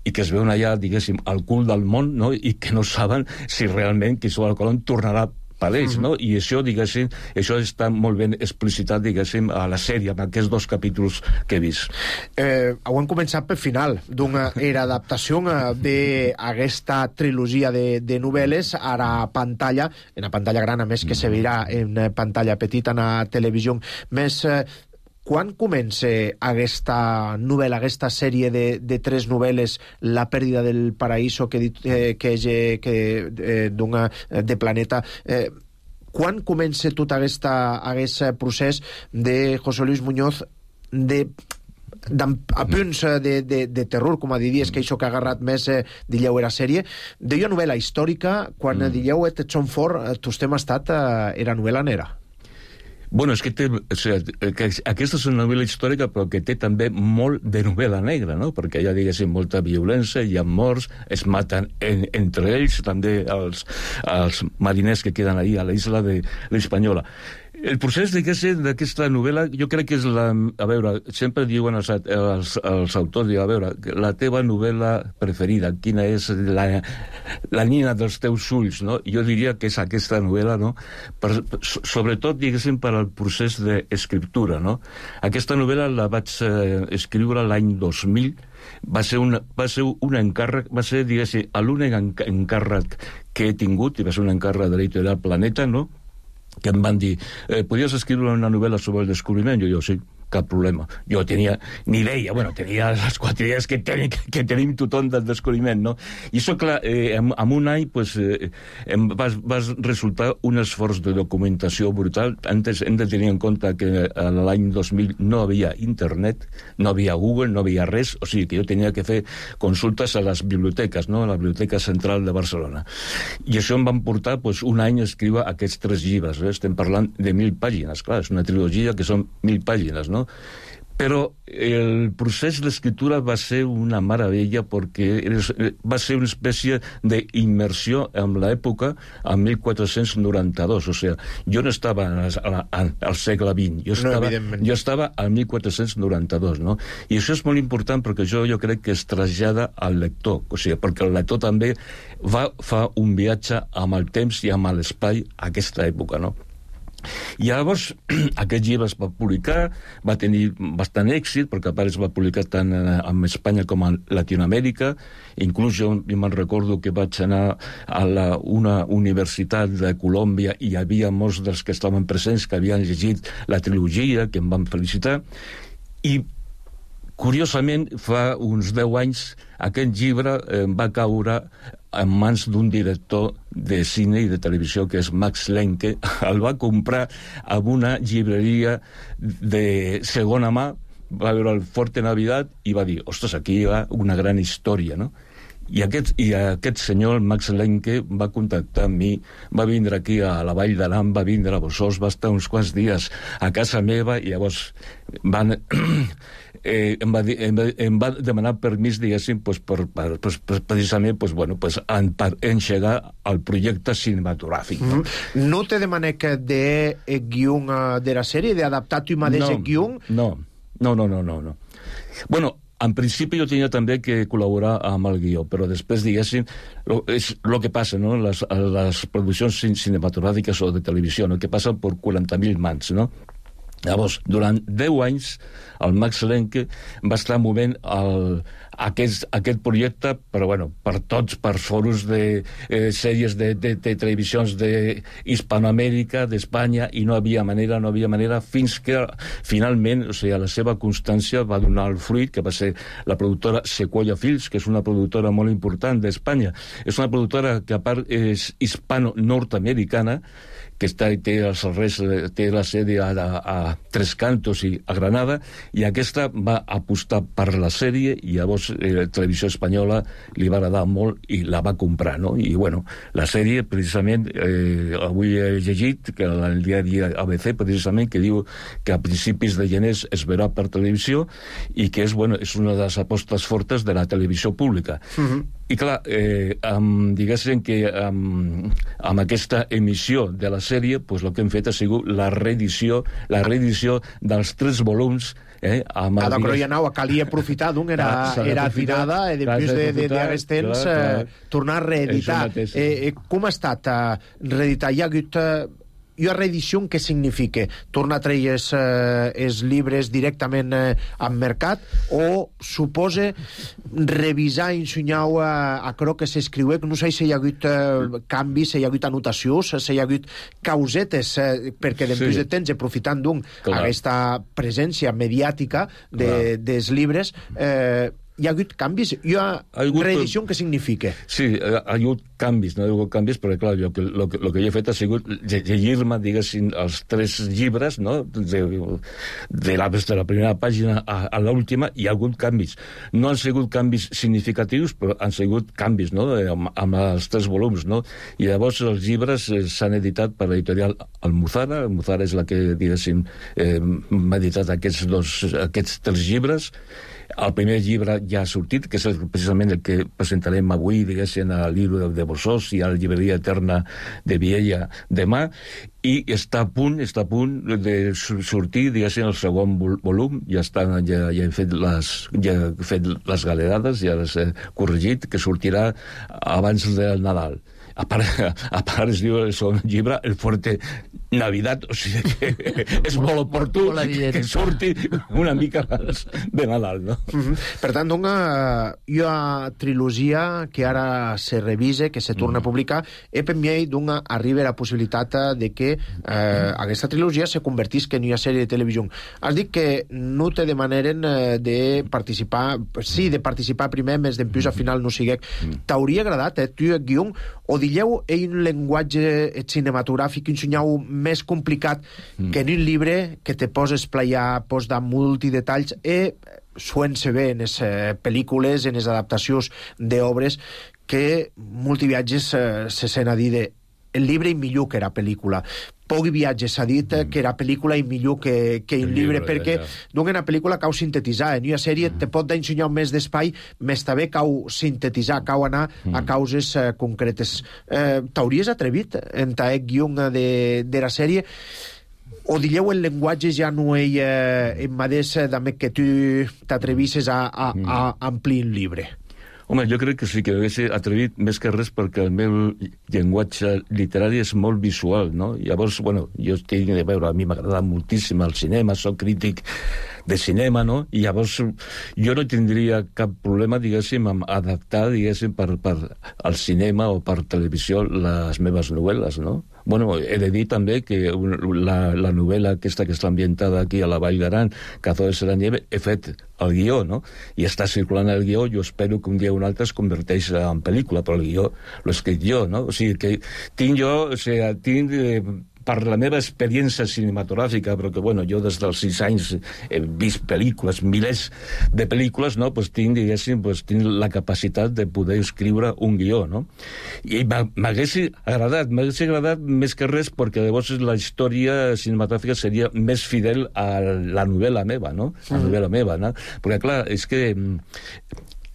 i que es veuen allà, diguéssim, al cul del món, no?, i que no saben si realment Cristóbal Colón tornarà per ells, no? I això, diguéssim, això està molt ben explicitat, diguéssim, a la sèrie, en aquests dos capítols que he vist. Eh, ho hem començat per final d'una era adaptació d'aquesta trilogia de, de novel·les a la pantalla, en la pantalla gran, a més que se veurà en pantalla petita, en la televisió. Més... Eh, quan comença aquesta novel·la, aquesta sèrie de, de tres novel·les, La pèrdida del paraíso, que, eh, que, que eh, d'una, de Planeta, eh, quan comença tot aquesta, aquest procés de José Luis Muñoz de a punts de, de, de terror, com a diries, que això que ha agarrat més, eh, dilleu, era sèrie, d'una novel·la històrica, quan mm. dilleu et són fort, tu estem estat, eh, era novel·la nera. Bueno, és que té, o sigui, que aquesta és una novel·la històrica, però que té també molt de novel·la negra, no? Perquè hi ha, diguéssim, molta violència, hi ha morts, es maten en, entre ells, també els, els mariners que queden ahí a la isla de l'Hispaniola. El procés d'aquesta novel·la, jo crec que és la... A veure, sempre diuen els, els, els autors, a veure, la teva novel·la preferida, quina és la, la nina dels teus ulls, no? Jo diria que és aquesta novel·la, no? Per, sobretot, diguéssim, per al procés d'escriptura, no? Aquesta novel·la la vaig eh, escriure l'any dos mil, va ser, una, va ser un encàrrec, va ser, diguéssim, l'únic encàrrec que he tingut, i va ser un encàrrec de l'editorial Planeta, no?, que em van dir, eh, podies escriure una novel·la sobre el descobriment? Jo, jo, sí, cap problema. Jo tenia ni idea, bueno, tenia les quatre idees que, ten, que tenim tothom del descobriment, no? I això, clar, eh, en, en un any, pues, eh, em va, va resultar un esforç de documentació brutal. Antes hem de tenir en compte que l'any dos mil no havia internet, no havia Google, no havia res, o sigui que jo tenia que fer consultes a les biblioteques, no? A la Biblioteca Central de Barcelona. I això em van portar, pues, un any a escriure aquests tres llibres, eh? Estem parlant de mil pàgines, clar, és una trilogia que són mil pàgines, no? Però el procés d'escriptura va ser una meravella perquè va ser una espècie d'immersió en l'època en mil quatre-cents noranta-dos, o sigui, jo no estava al segle vint, jo estava, no, jo estava al mil quatre-cents noranta-dos, no? I això és molt important perquè jo, jo crec que es trasllada al lector, o sigui, perquè el lector també va fa un viatge amb el temps i amb l'espai a aquesta època, no? I llavors aquest llibre es va publicar, va tenir bastant èxit, perquè a part es va publicar tant en Espanya com a Latinoamèrica. Inclús jo me'n recordo que vaig anar a la, una universitat de Colòmbia i hi havia molts dels que estaven presents que havien llegit la trilogia, que em van felicitar. I curiosament, fa uns deu anys, aquest llibre eh, va caure en mans d'un director de cine i de televisió que és Max Lenke. El va comprar a una llibreria de segona mà, va veure el Forte Navidad i va dir, ostres, aquí hi ha una gran història, no? I aquest, i aquest senyor, Max Lenke, va contactar amb mi, va vindre aquí a la Vall d'Aran, va vindre a Bossòs, va estar uns quants dies a casa meva i llavors van... Eh, em, va, em, va, em va demanar permís, diguéssim, pues, per, per, pues, precisament pues, bueno, pues, en, per engegar el projecte cinematogràfic. No, mm. no te demanec de guion de la sèrie, d'adaptar tu mateix no, el guion? No, no, no, no, no, no. Bueno, en principi jo tenia també que col·laborar amb el guió, però després, diguéssim, lo, és el que passa, no?, les, les produccions cinematogràfiques o de televisió, no?, que passen per quaranta mil mans, no? Llavors, durant deu anys, el Max Lenke va estar movent el, aquest, aquest projecte, però bueno, per tots, per foros de eh, sèries de, de, de televisions d'Hispanoamèrica, d'Espanya, i no havia manera, no havia manera, fins que finalment, o sigui, la seva constància va donar el fruit, que va ser la productora Sequoia Films, que és una productora molt important d'Espanya. És una productora que, a part, és hispano-nord-americana, que està, té, els serveis, té la sèrie a, a, a Tres Cantos i a Granada, i aquesta va apostar per la sèrie i llavors eh, Televisió Espanyola li va agradar molt i la va comprar, no? I bueno, la sèrie precisament, eh, avui he llegit que el diari A B C precisament que diu que a principis de gener es veurà per televisió i que és, bueno, és una de les apostes fortes de la televisió pública. Uh-huh. I clar, eh, amb, diguéssim que amb, amb aquesta emissió de la sèrie, pues, el que hem fet ha sigut la reedició, la reedició dels tres volums. Eh, amb Cada croianau calia aprofitar d'un, era, era afinada, i després d'aquest de, temps eh, tornar a reeditar. Eh, eh, com ha estat eh, reeditar? Hi ha hagut... Eh, i la reedició què significa? Tornar a treure els, eh, els llibres directament eh, al mercat o suposa revisar i ensenyar a, a crò que s'escriu? No sé si hi ha hagut eh, canvis, si hi ha hagut anotacions, si hi ha hagut causetes, eh, perquè després sí. de temps, aprofitant d'un aquesta presència mediàtica de, dels llibres, eh, hi ha hagut canvis? Hi ha, ha hagut... reedició què significa? Sí, ha hagut canvis, no ha hagut canvis, però clar, jo, el, el, el que jo he fet ha sigut llegir-me, diguéssim, els tres llibres, no?, de, de, la, de la primera pàgina a, a l'última, i hi ha hagut canvis. No han sigut canvis significatius, però han sigut canvis, no?, amb, amb els tres volums, no? I llavors els llibres s'han editat per l'editorial Almuzara. Almuzara és la que, diguéssim, eh, m'ha editat aquests, dos, aquests tres llibres. El primer llibre ja ha sortit, que és precisament el que presentarem avui, diguéssim, a l'Hilo de Bossòs i a la llibreria Eterna de Viella demà, i està a punt, està a punt de sortir, diguéssim, el segon volum. Ja, està, ja, ja, he fet les, ja he fet les galerades, ja les he corregit, que sortirà abans del Nadal. A part, a part es diu el segon llibre, el Forte Navidad, o sigui que és molt oportú que surti una mica abans de Nadal, no? Mm-hmm. Per tant, una, una trilogia que ara se revise, que se torna mm. a publicar, e per mi d'una arriba la possibilitat de que eh, aquesta trilogia se convertisca en una sèrie de televisió. Has dit que no te demaneren eh, de participar, sí, de participar primer, més d'empús al final no siguec. Mm. T'hauria agradat, eh, tu, guió, o dilleu en un llenguatge cinematogràfic, un senyal més complicat mm. que en un llibre que te pots esplayar, pots dar multidetalls e suent-se bé en les eh, pel·lícules, en les adaptacions d'obres que multiviatges eh, se sent a dir de el llibre i millor que era pel·lícula. Poc viatges s'ha dit mm. que era pel·lícula i millor que, que un llibre, llibre perquè ja, ja. Doncs una pel·lícula cau sintetitzar, en una sèrie mm. te pot ensenyar més d'espai, més també cau sintetitzar, cau anar mm. a causes eh, concretes. Eh, T'hauries atrevit en taec guió de, de la sèrie o dilleu el llenguatge ja no hi eh, en madés també que tu t'atrevisses a, a, a amplir un llibre? Home, jo crec que sí que hagués atrevit més que res perquè el meu llenguatge literari és molt visual, no? Llavors, bueno, jo tinc de veure, a mi m'agrada moltíssim el cinema, soc crític de cinema, no? I llavors jo no tindria cap problema, diguéssim, amb adaptar, diguéssim, per, per al cinema o per televisió les meves novel·les, no? Bueno, he de dir també que la, la novel·la aquesta que està ambientada aquí a la Vall d'Aran, Cazadores de la Nieve, he fet el guió, no? I està circulant el guió, jo espero que un dia o un altre es converteix en pel·lícula, però el guió l'he escrit jo, no? O sigui que tinc jo, o sigui, tinc... Eh, per la meva experiència cinematogràfica, però que, bueno, jo des dels sis anys he vist pel·lícules, milers de pel·lícules, no?, pues tinc, diguéssim, pues tinc la capacitat de poder escriure un guió, no? I m'hagués agradat, m'hagués agradat més que res perquè llavors la història cinematogràfica seria més fidel a la novel·la meva, no? A la novel·la meva, no? Perquè, clar, és que...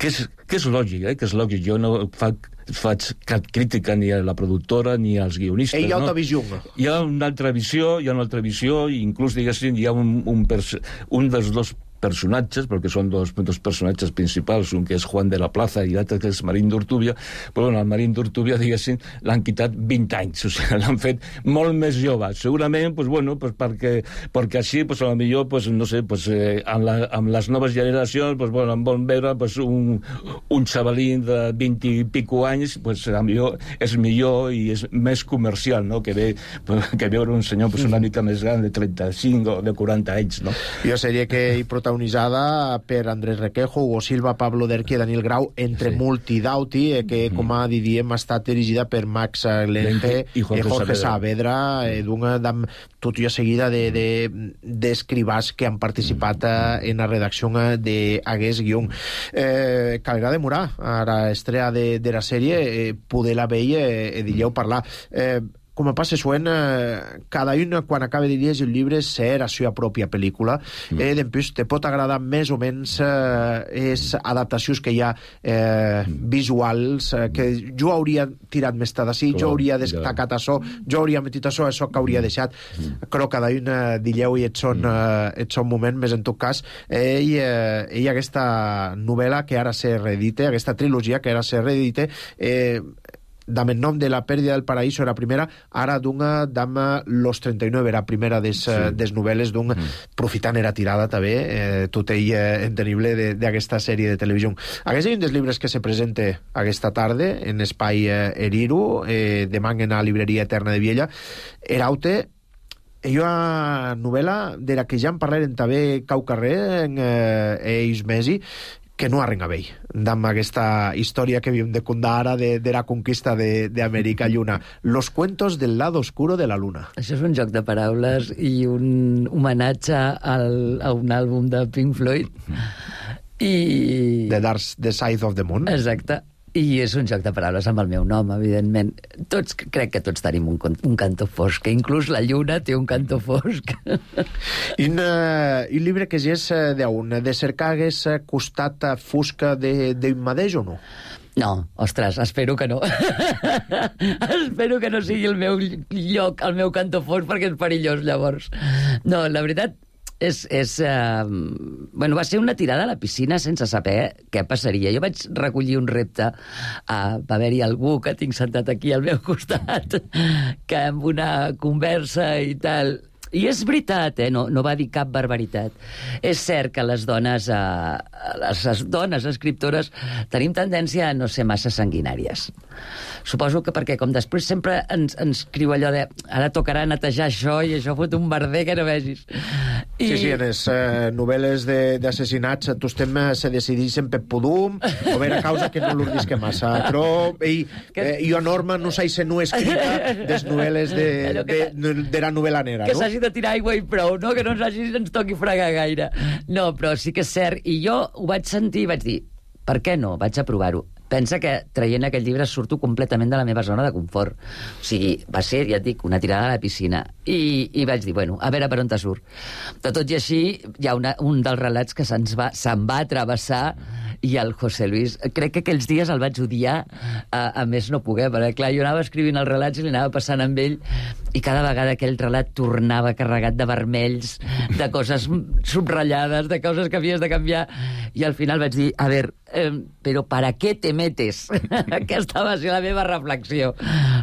Que és, que és lògic, eh? Que és lògic. Jo no fa, faig cap crítica ni a la productora ni als guionistes. Hi ha no? altra visió. Hi ha una altra visió, hi ha una altra visió, i inclús, diguéssim, hi ha un, un, un dels dos personatges, perquè són dos, dos personatges principals, un que és Juan de la Plaza i l'altre que és Marín d'Ortúbia, però bueno, el Marín d'Ortúbia, diguéssim, l'han quitat vint anys, o sigui, l'han fet molt més jove. Segurament, pues, bueno, pues, perquè, perquè així, pues, a lo millor, pues, no sé, pues, eh, amb, la, amb les noves generacions, pues, bueno, em volen veure pues, un, un xavalín de vint i pico anys, pues, a lo millor és millor i és més comercial, no?, que, ve, pues, que veure un senyor pues, una mica més gran de trenta-cinc o de quaranta anys, no? Jo seria que hi protagonitzada per Andrés Requejo, Hugo Silva, Pablo Derqui i Daniel Grau, entre sí. Multidauti, eh, que, mm. com a diem, ha estat dirigida per Max Lenge i Jorge, Jorge Saavedra, eh, d'una tot i a seguida d'escribars de, de, que han participat eh, en la redacció d'Aguest Guión. Eh, calgarà demorar a la estrella de, de la sèrie, eh, poder-la veure i eh, dilleu parlar. Eh, com a passe suent, eh, cada un, quan acaba de llegir el llibre, ser la seva pròpia pel·lícula. Mm. Eh, D'empús, te pot agradar més o menys eh, és adaptacions que hi ha eh, visuals, eh, que jo hauria tirat més de d'ací, jo hauria destacat això, jo hauria metit això, això que hauria deixat. Mm. Però cada un eh, dilleu i et són, eh, et són moment, més en tot cas, ell, eh, ell aquesta novel·la que ara se reedite, aquesta trilogia que ara se reedite, eh, dame el nom de la pèrdida del paraíso era primera, ara d'una dama Los trenta y nueve era primera des, sí. des novel·les d'un mm. profitant era tirada també, eh, tot ell eh, entenible d'aquesta sèrie de televisió. Aquest és un dels llibres que se presenta aquesta tarda en Espai eh, Eriru, eh, demà en la Libreria Eterna de Viella. Eraute, hi ha una novel·la de la que ja en parlarem també cau carrer en eh, ells mesi, que no arrenga bé, amb aquesta història que havíem de contar ara de, de la conquista d'Amèrica Lluna. Los cuentos del lado oscuro de la luna. Això és un joc de paraules i un homenatge al, a un àlbum de Pink Floyd. I... The Dark The Side of the Moon. Exacte. I és un joc de paraules amb el meu nom, evidentment. Tots, crec que tots tenim un, un cantó fosc, que inclús la lluna té un cantó fosc. I un, uh, un llibre que ja és d'un, de cercar hagués costat fosca d'un mateix o no? No, ostres, espero que no. Espero que no sigui el meu lloc, el meu cantó fosc, perquè és perillós, llavors. No, la veritat és, és, uh, bueno, va ser una tirada a la piscina sense saber què passaria. Jo vaig recollir un repte, uh, va haver-hi algú que tinc sentat aquí al meu costat, que amb una conversa i tal... I és veritat, eh? no, no va dir cap barbaritat. És cert que les dones, eh, les, les dones escriptores tenim tendència a no ser massa sanguinàries. Suposo que perquè, com després sempre ens, ens criu allò de ara tocarà netejar això i això fot un merder que no vegis. I... Sí, sí, en les eh, novel·les d'assassinats tu estem eh, se decidixen per pudum o vera causa que no l'urdisque massa. Però ell, eh, jo, Norma, no s'ha no escrita des novel·les de, de, de, de la novel·la negra, que no? s'hagi de tirar aigua i prou, no? Que no ens, hagi, ens toqui fregar gaire. No, però sí que és cert. I jo ho vaig sentir i vaig dir, per què no? Vaig a provar-ho. Pensa que traient aquest llibre surto completament de la meva zona de confort. O sigui, va ser, ja et dic, una tirada a la piscina. I, i vaig dir, bueno, a veure per on te surt. De tot i així, hi ha una, un dels relats que se'ns va, se'n va travessar i el José Luis, crec que aquells dies el vaig odiar a, a més no poder, perquè clar, jo anava escrivint els relats i li anava passant amb ell i cada vegada aquell relat tornava carregat de vermells, de coses subratllades, de coses que havies de canviar, i al final vaig dir, a veure, eh, però ¿para qué te metes? Aquesta va ser la meva reflexió.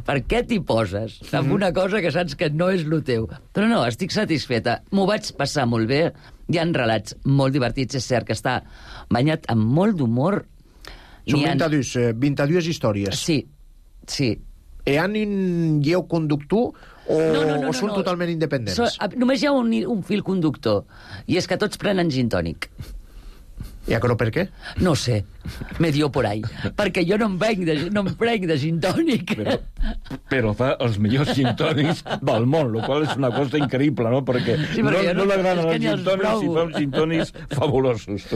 Per què t'hi poses amb una cosa que saps que no és lo teu? Però no, estic satisfeta. M'ho vaig passar molt bé. Hi ha relats molt divertits. És cert que està banyat amb molt d'humor. Són vint-i-dues, vint-i-dues històries. Sí, sí. Hi ha un lleu conductor o, no, no, no, o són no, no. totalment independents? So, només hi ha un, un fil conductor, i és que tots prenen gin tònic. Ja, però per què? No sé, me dio por ahí. Perquè jo no em venc de, no em prenc de gin tònic. Però, però fa els millors gin tònics del món, la qual és una cosa increïble, no? Perquè, sí, perquè no, no, no l'agraden els gin tònics i fa uns gin tònics fabulosos.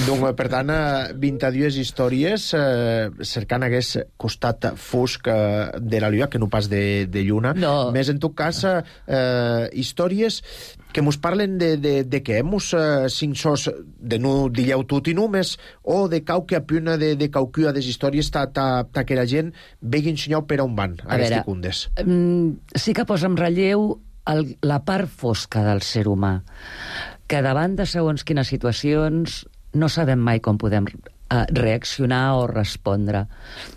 Donc, per tant, vint-i-dues històries eh, cercant hagués costat fosc eh, de la lluna, que no pas de, de lluna. No. Més, en tot cas, eh, històries que mos parlen de, de, de què? Mos eh, cinc sos de no dilleu tot i només, o de cauque a puna de, de caucua des històries ta, ta, ta que la gent vegui ensenyau per on van, a, a les ticundes. Um, sí que posa en relleu el, la part fosca del ser humà, que davant de segons quines situacions no sabem mai com podem a reaccionar o respondre.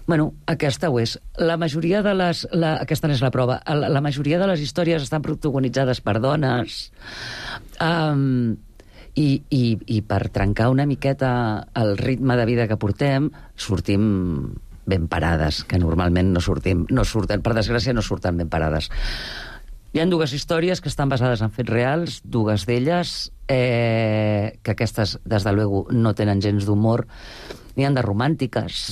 Bueno, aquesta ho és. La majoria de les... La, aquesta n'és la prova. La, la majoria de les històries estan protagonitzades per dones. Um, i, i, I per trencar una miqueta el ritme de vida que portem, sortim ben parades, que normalment no sortim, no surten, per desgràcia no surten ben parades. Hi ha dues històries que estan basades en fets reals, dues d'elles, eh, que aquestes, des de luego, no tenen gens d'humor. N'hi ha de romàntiques,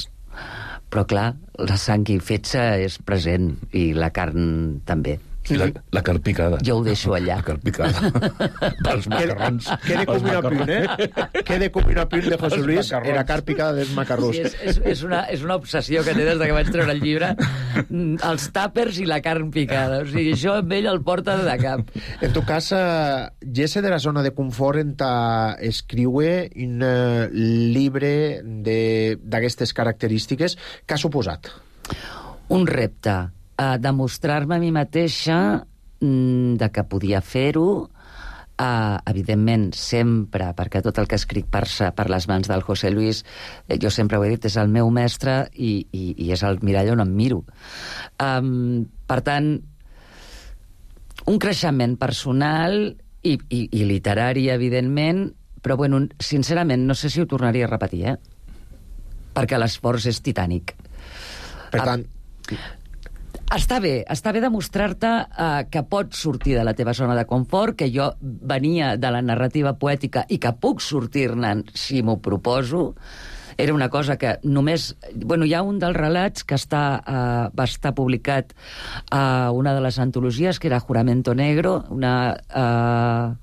però clar, la sang i fetge és present, i la carn també. La, la carn picada. Jo ho deixo allà. La carn picada. Pels macarrons. Quede com una pun, eh? Quede com una pun de José Luis en la carn picada dels macarrons. Sí, és, és, és, una, és una obsessió que té des que vaig treure el llibre. Els tàpers i la carn picada. O sigui, això amb ell el porta de cap. En tot cas, uh, Jesse de la zona de confort en ta escriure un uh, llibre d'aquestes característiques. Què ha suposat? Un repte. A demostrar-me a mi mateixa mm, de que podia fer-ho, uh, evidentment sempre, perquè tot el que escric passa per les mans del José Luis, eh, jo sempre ho he dit, és el meu mestre i, i, i és el mirall on em miro. Um, per tant, un creixement personal i, i, i literari, evidentment, però, bueno, sincerament, no sé si ho tornaria a repetir, eh? Perquè l'esforç és titànic. Per tant... Uh, Està bé, està bé demostrar-te uh, que pots sortir de la teva zona de confort, que jo venia de la narrativa poètica i que puc sortir-ne si m'ho proposo. Era una cosa que només... Bueno, hi ha un dels relats que està, uh, va estar publicat a uh, una de les antologies, que era Juramento Negro, una uh,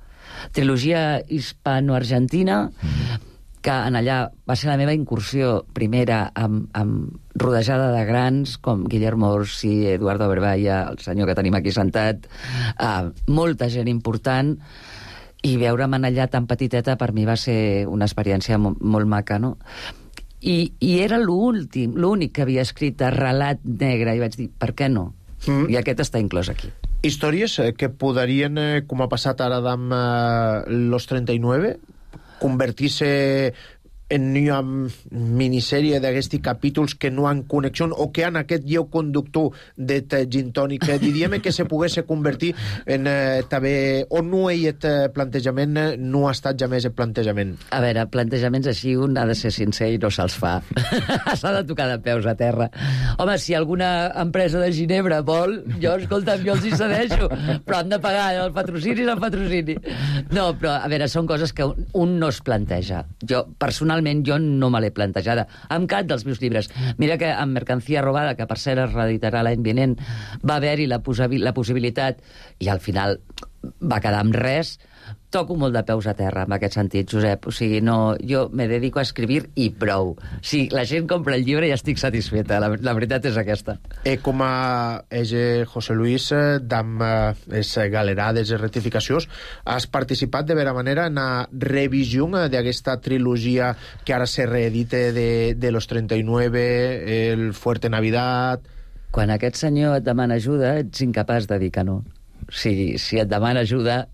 trilogia hispano-argentina, mm-hmm. que en allà va ser la meva incursió primera amb, amb rodejada de grans com Guillermo Orsi, Eduardo Berballa, el senyor que tenim aquí sentat, uh, molta gent important, i veure'm allà tan petiteta per mi va ser una experiència molt, molt maca, no? I, i era l'últim, l'únic que havia escrit de relat negre, i vaig dir, per què no? Mm. I aquest està inclòs aquí. Històries que podrien, com ha passat ara amb eh, Los trenta y nueve, convertir-se en una minissèrie d'aquests capítols que no han connexió o que han aquest lleu conductor de gin tònic, diríem que se pogués convertir en eh, també, o no hi ha plantejament, no ha estat jamais el plantejament. A veure, plantejaments així un ha de ser sincer i no se'ls fa. S'ha de tocar de peus a terra. Home, si alguna empresa de Ginebra vol, jo, escolta'm, jo els hi cedeixo, però han de pagar el patrocini i el patrocini. No, però, a veure, són coses que un no es planteja. Jo, personalment, jo no me l'he plantejada amb cap dels meus llibres. Mira que amb Mercancía robada, que per cert es reeditarà l'any vinent, va haver-hi la, la possibilitat i al final va quedar amb res. Toco molt de peus a terra en aquest sentit, Josep. O sigui, no, jo me dedico a escribir i prou. Si la gent compra el llibre ja estic satisfeta, la, la veritat és aquesta. E com a ege José Luis, d'am es galerades i rectificacions, has participat de vera manera en la revisió d'aquesta trilogia que ara se reedite de, de Los trenta y nueve, el Fuerte Navidad... Quan aquest senyor et demana ajuda, ets incapaç de dir que no. Si, si et demana ajuda,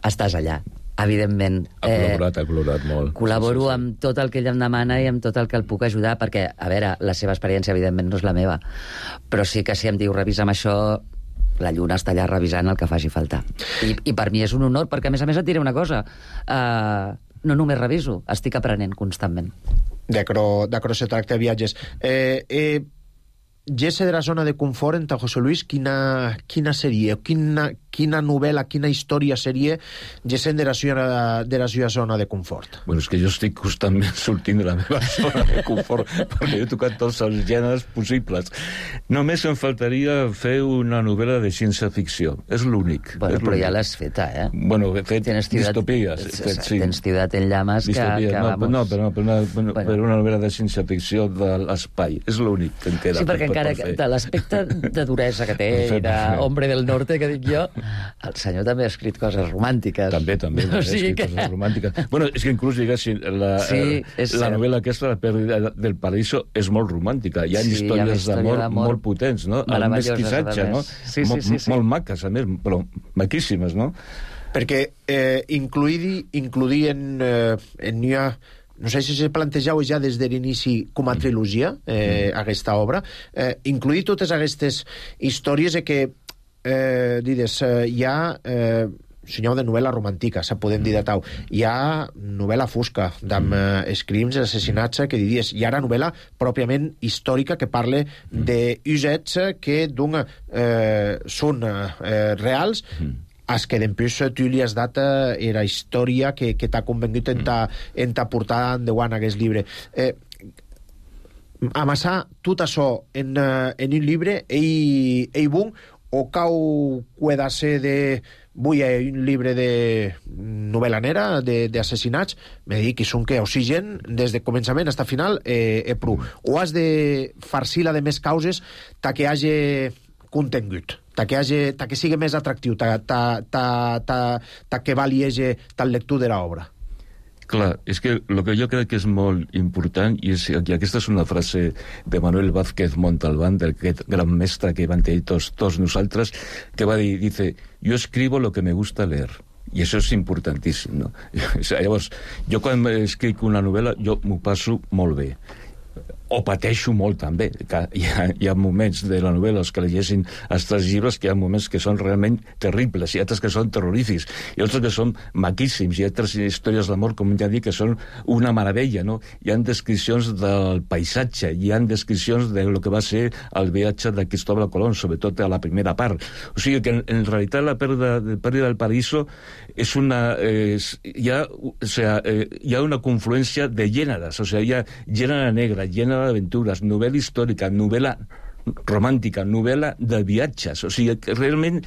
estàs allà, evidentment. Ha col·laborat, eh, ha col·laborat molt. Col·laboro sí, sí, sí. amb tot el que ell em demana i amb tot el que el puc ajudar, perquè, a veure, la seva experiència, evidentment, no és la meva. Però sí que si em diu, revisa'm això, la lluna està allà revisant el que faci falta. I, i per mi és un honor, perquè, a més a més, et diré una cosa. Uh, no només reviso, estic aprenent constantment. D'acro se tracta de viatges. Eh... eh... Gesse de la zona de confort en José Luis, quina, quina seria, quina, quina novel·la, quina història seria Gesse de la, de la seva zona de confort? Bueno, és que jo estic constantment sortint de la meva zona de confort perquè he tocat tots els gèneres possibles. Només em faltaria fer una novel·la de ciència-ficció. És l'únic. Bueno, és però ja l'has feta, eh? Bueno, he fet tienes distopies. Ciutat, fet, sí. Tens Ciutat en llames que, que no, vamos... No, però no, per una, per, bueno. per una novel·la de ciència-ficció de l'espai. És l'únic que em queda. Sí, perquè encara de l'aspecte de duresa que té i d'hombre del norte, que dic jo, el senyor també ha escrit coses romàntiques. També, també, o ha sigui escrit que... coses romàntiques. Bueno, és que inclús, diguéssim, la, sí, la novel·la aquesta, La pèrdua del paraíso, és molt romàntica. Hi ha sí, històries d'amor molt potents, no? El mesquissatge, no? Sí, sí, sí, sí. Molt maques, a més, però maquíssimes, no? Perquè eh, incluir, incluir en, eh, en ha... No sé si se plantejau ja des de l'inici com a trilogia, eh, aquesta obra, eh, incluir totes aquestes històries que, eh, dides, eh, hi ha... Eh, senyal de novel·la romàntica, se podem dir de tau. Hi ha novel·la fosca, d'amb eh, crims, assassinats, que diries. Hi ha ara novel·la pròpiament històrica que parla d'usets que d'un eh, són eh, reals, es que d'empús tu li has dat eh, la història que, que t'ha convengut en ta, en ta portar endavant aquest llibre. Eh, amassar tot això en, uh, en un llibre, ell, ell bon, o cau pueda ser de... Vull un llibre de novel·la nera, d'assassinats, me dic que són que oxigen des de començament fins al final, eh, eh, prou. O has de farcir-la de més causes ta que hagi contingut, ta que, hagi, ta que sigui més atractiu, ta, ta, ta, ta, ta que valiege tal lectura de l'obra. Clar, és que el que jo crec que és molt important, i, és, i aquesta és una frase de Manuel Vázquez Montalbán, d'aquest gran mestre que van tenir tots, tots nosaltres, que va dir, dice, yo escribo lo que me gusta leer. I això és importantíssim, no? Llavors, jo quan escric una novel·la, jo m'ho passo molt bé. O pateixo molt també, que hi ha, hi ha moments de la novel·la que llegeixin els tres llibres que hi ha moments que són realment terribles, i altres que són terrorífics, i altres que són maquíssims, i altres històries d'amor, com ja dic, que són una meravella, no? Hi ha descripcions del paisatge, hi ha descripcions de lo que va ser el viatge de Cristóbal Colón, sobretot a la primera part. O sigui que en, en realitat la pèrdua, la pèrdua del paraíso és una... És, hi, ha, o sea, eh, hi ha una confluència de gèneres, o sigui, hi ha gènere negre, gènere d'aventures, novel·la històrica, novel·la romàntica, novel·la de viatges. O sigui, que realment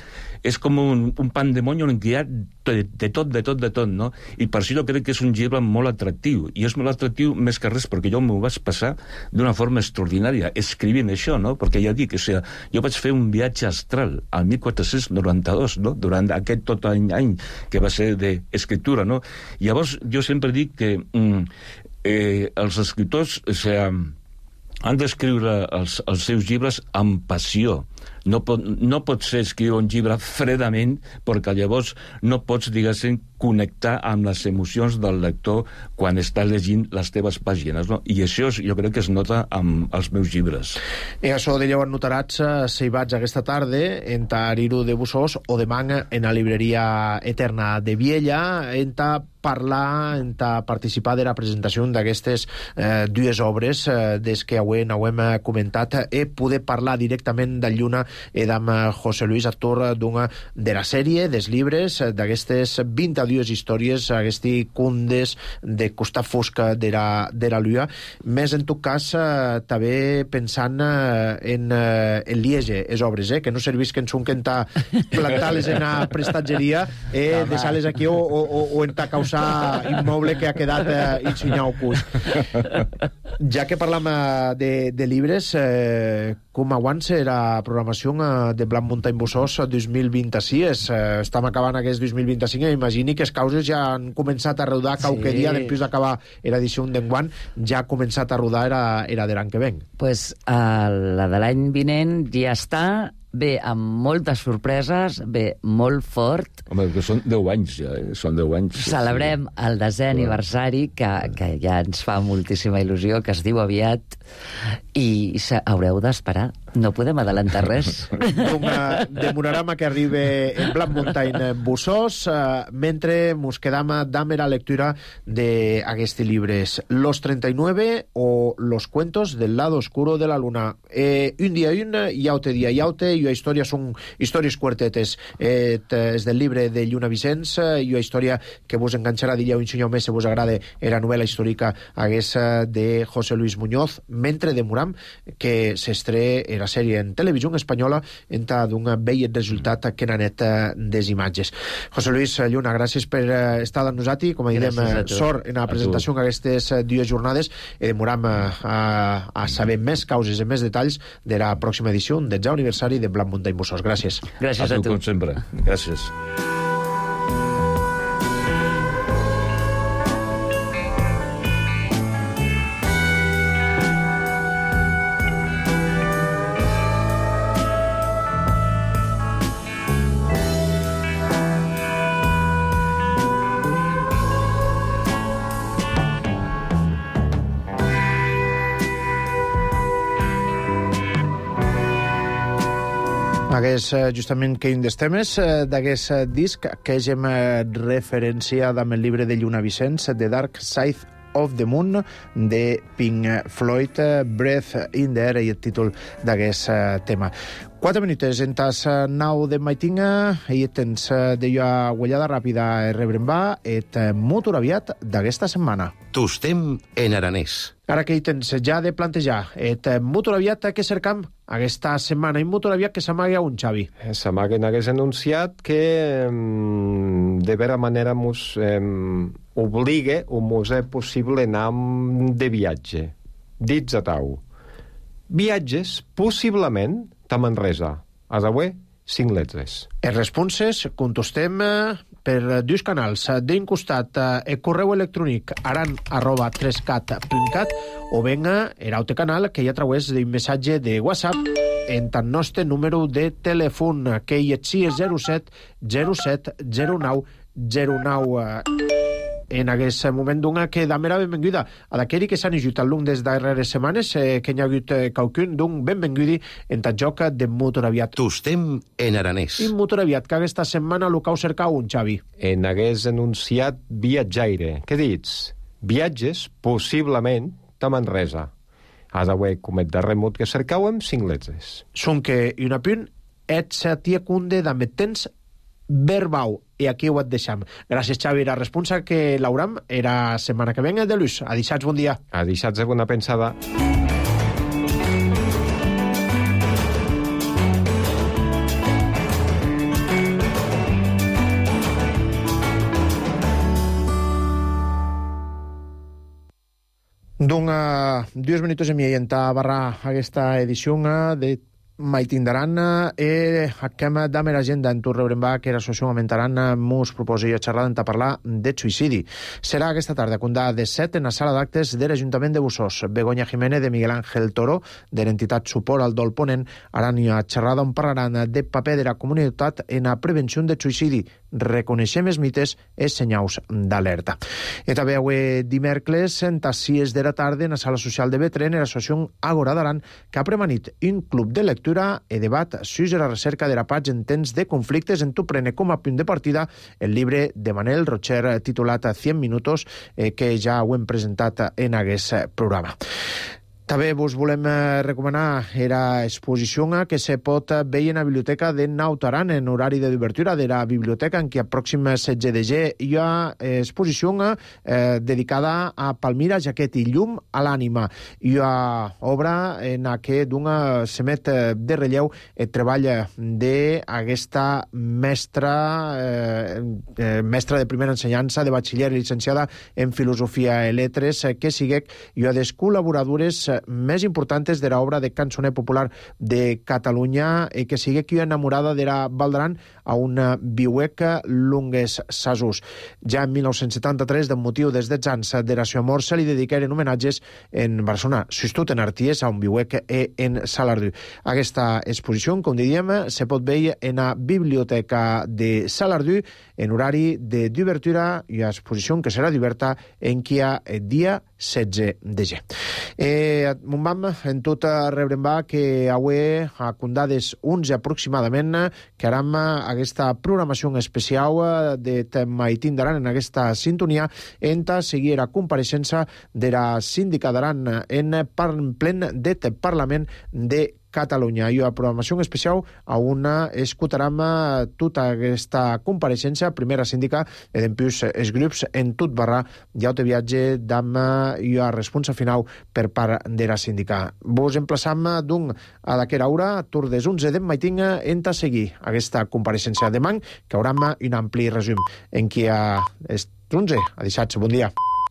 és com un, un pandemoni en què hi ha de, de tot, de tot, de tot, no? I per això jo crec que és un llibre molt atractiu. I és molt atractiu més que res perquè jo m'ho vaig passar d'una forma extraordinària, escrivint això, no? Perquè ja dic, o sigui, jo vaig fer un viatge astral al mil quatre-cents noranta-dos, no? Durant aquest tot any, any que va ser d'escriptura, no? Llavors, jo sempre dic que mm, eh, els escriptors, o sigui, han d'escriure els, els seus llibres amb passió, No pot, no pot ser escriure un llibre fredament, perquè llavors no pots, diguéssim, connectar amb les emocions del lector quan està llegint les teves pàgines, no? I això jo crec que es nota amb els meus llibres. I això de lleu notarats si vaig aquesta tarda en Tariru de Busós o demà en la libreria Eterna de Viella en ta parlar, en ta participar de la presentació d'aquestes eh, dues obres eh, des que avui n'hem comentat e poder parlar directament del Lluna i d'amb José Luis Artur d'una de la sèrie, dels llibres, d'aquestes vint-i-dues històries, aquests contes de costat fosca de la, de la Lua. Més en tot cas, eh, també pensant eh, en, eh, en Liege, les obres, eh, que no servisquen són que en ta plantar-les en la prestatgeria eh, deixar-les aquí o, o, o en ta causa immoble que ha quedat eh, insinyau cus. Ja que parlam eh, de, de llibres, eh, com avança la programació eh, de Blanc Muntany Busós dos mil vint-i-sis? Eh, estem acabant aquest dos mil vint-i-cinc i imagini que les causes ja han començat a rodar qualque sí. dia després d'acabar l'edició d'enguany, ja ha començat a rodar era, era de l'any que ven. Pues, uh, la de l'any vinent ja està, bé, amb moltes sorpreses, bé, molt fort. Home, que són deu anys, ja, eh? Són deu anys. Celebrem sí. el desè aniversari, que, que ja ens fa moltíssima il·lusió, que es diu aviat, i haureu d'esperar. No podem adelantar res. Un uh, demorarama que arribe en Blanc Muntany Busós, uh, mentre mos quedam amb la lectura d'aquests llibres Los treinta y nueve o Los cuentos del lado oscuro de la luna. Eh, un dia un, iaute dia iaute, i una història són històries quartetes. Eh, és del llibre de Lluna Vicenç, i una història que vos enganxarà d'illa un senyor més si vos agrada la novel·la històrica haguesa de José Luis Muñoz, mentre demoram que s'estre la sèrie en televisió espanyola en d'un vell resultat que n'ha net des imatges. José Luis Lluna, gràcies per estar amb nosaltres, com a diem, sort en la presentació d'aquestes dues jornades i demoram a, a, a saber més causes i més detalls de la pròxima edició del ja aniversari de Blanc Muntany Busós. Gràcies. Gràcies a, a tu. Com sempre. Gràcies. Hagués justament que un dels temes d'aquest disc que hem referenciat amb el llibre de Lluna Vicenç, The Dark Side of the Moon, de Pink Floyd, Breath in the Air, i el títol d'aquest tema. Quatre minuts en tas nau de maitinga i tens de jo guanyada ràpida i rebrem va et molt aviat d'aquesta setmana. Tostem en aranès. Ara que hi tens ja de plantejar et molt aviat que cercam aquesta setmana i molt aviat que s'amaga un Xavi. S'amaga hagués anunciat que de vera manera mos eh, obliga o mos és possible anar de viatge. Dits a tau. Viatges possiblement a Manresa. A d'avui, cinc letres. Els responses contestem per dos canals. D'un costat, el correu electrònic aran arroba trescat punt cat o venga el altre canal que hi ha a través d'un missatge de WhatsApp en el nostre número de telèfon, que hi és zero set zero set zero nou zero nou. En aquest moment d'una que dame la benvinguda a d'aquell que s'han ajut al long des darreres setmanes, eh, que hi ha hagut eh, qualcun d'un benvingudi en tal joc de motor aviat. Tostem en aranès. I motor aviat, que aquesta setmana lo cau cercar un Xavi. En hagués anunciat viatjaire. Què dits? Viatges, possiblement, a Manresa. A d'avui, com et darrer mot que cercàvem, cinc letres. Són que un apunt et se tia cunde d'ame temps verbau. I aquí ho et deixam. Gràcies, Xavi. La responsa que l'hauram era setmana que venga de l'ús. Adixats, bon dia. Adixats de bona pensada. D'un, uh, dos minuts i mig en barra aquesta edició de mai tindran eh, aquem damer agenda en tu rebrem va que l'associació augmentaran mus proposi a xerrar en parlar de suïcidi. Serà aquesta tarda, condà de set en la sala d'actes de l'Ajuntament de Bussos. Begoña Jiménez de Miguel Ángel Toro, de l'entitat Suport al Dol Ponent, aran a xerrada on parlaran de paper de la comunitat en la prevenció de suïcidi. Reconeixem els mites i senyals d'alerta. I també avui dimecres, en sis de la tarda, en la sala social de Betren, l'associació Agora d'Aran, que ha premanit un club de lectura i debat sobre la recerca de la paz en temps de conflictes. En tu prene com a punt de partida el llibre de Manel Rocher titulat cent minutos, eh, que ja ho hem presentat en aquest programa. També vos volem recomanar la exposició que se pot veure en la biblioteca de Naut Aran en horari de d'obertura de la biblioteca, en què a pròxim setze de gener hi ha exposició eh, dedicada a Palmira, Jaquet i Llum a l'ànima. Hi ha obra en què d'una semet de relleu el treball d'aquesta mestra eh, eh, mestra de primera ensenyança, de batxiller i licenciada en Filosofia i Letres, que sigue i ha des col·laboradores més importants de l'obra de cançoner popular de Catalunya i que sigue qui enamorada de la Valdaran a una viueca lungues sasus. Ja en mil nou-cents setanta-tres, de motiu des dels anys de la seva mort, se li dedicaren homenatges en Barcelona, Sustut en Arties, a un viuec i en Salardú. Aquesta exposició, com diríem, se pot veure en la biblioteca de Salardú en horari de d'obertura i exposició que serà d'oberta en qui ha el dia setze de gener. Eh, Montbam, en tot rebrem va que avui a condades onze aproximadament que aram aquesta programació especial de tema i tindran en aquesta sintonia en ta seguir a compareixença de la síndica d'Aran en plen det Parlament de Catalunya. I a programació especial a una escoltarem tota aquesta compareixença, primera síndica, i dempuix els grups en tot barra ja te viatge d'am i a responsa final per part de la síndica. Vos emplaçam d'un a d'aquera hora, tur des onze d'en maiting, en ta seguir aquesta compareixença demà, que hauram un ampli resum en qui a onze a dissabte. Bon dia.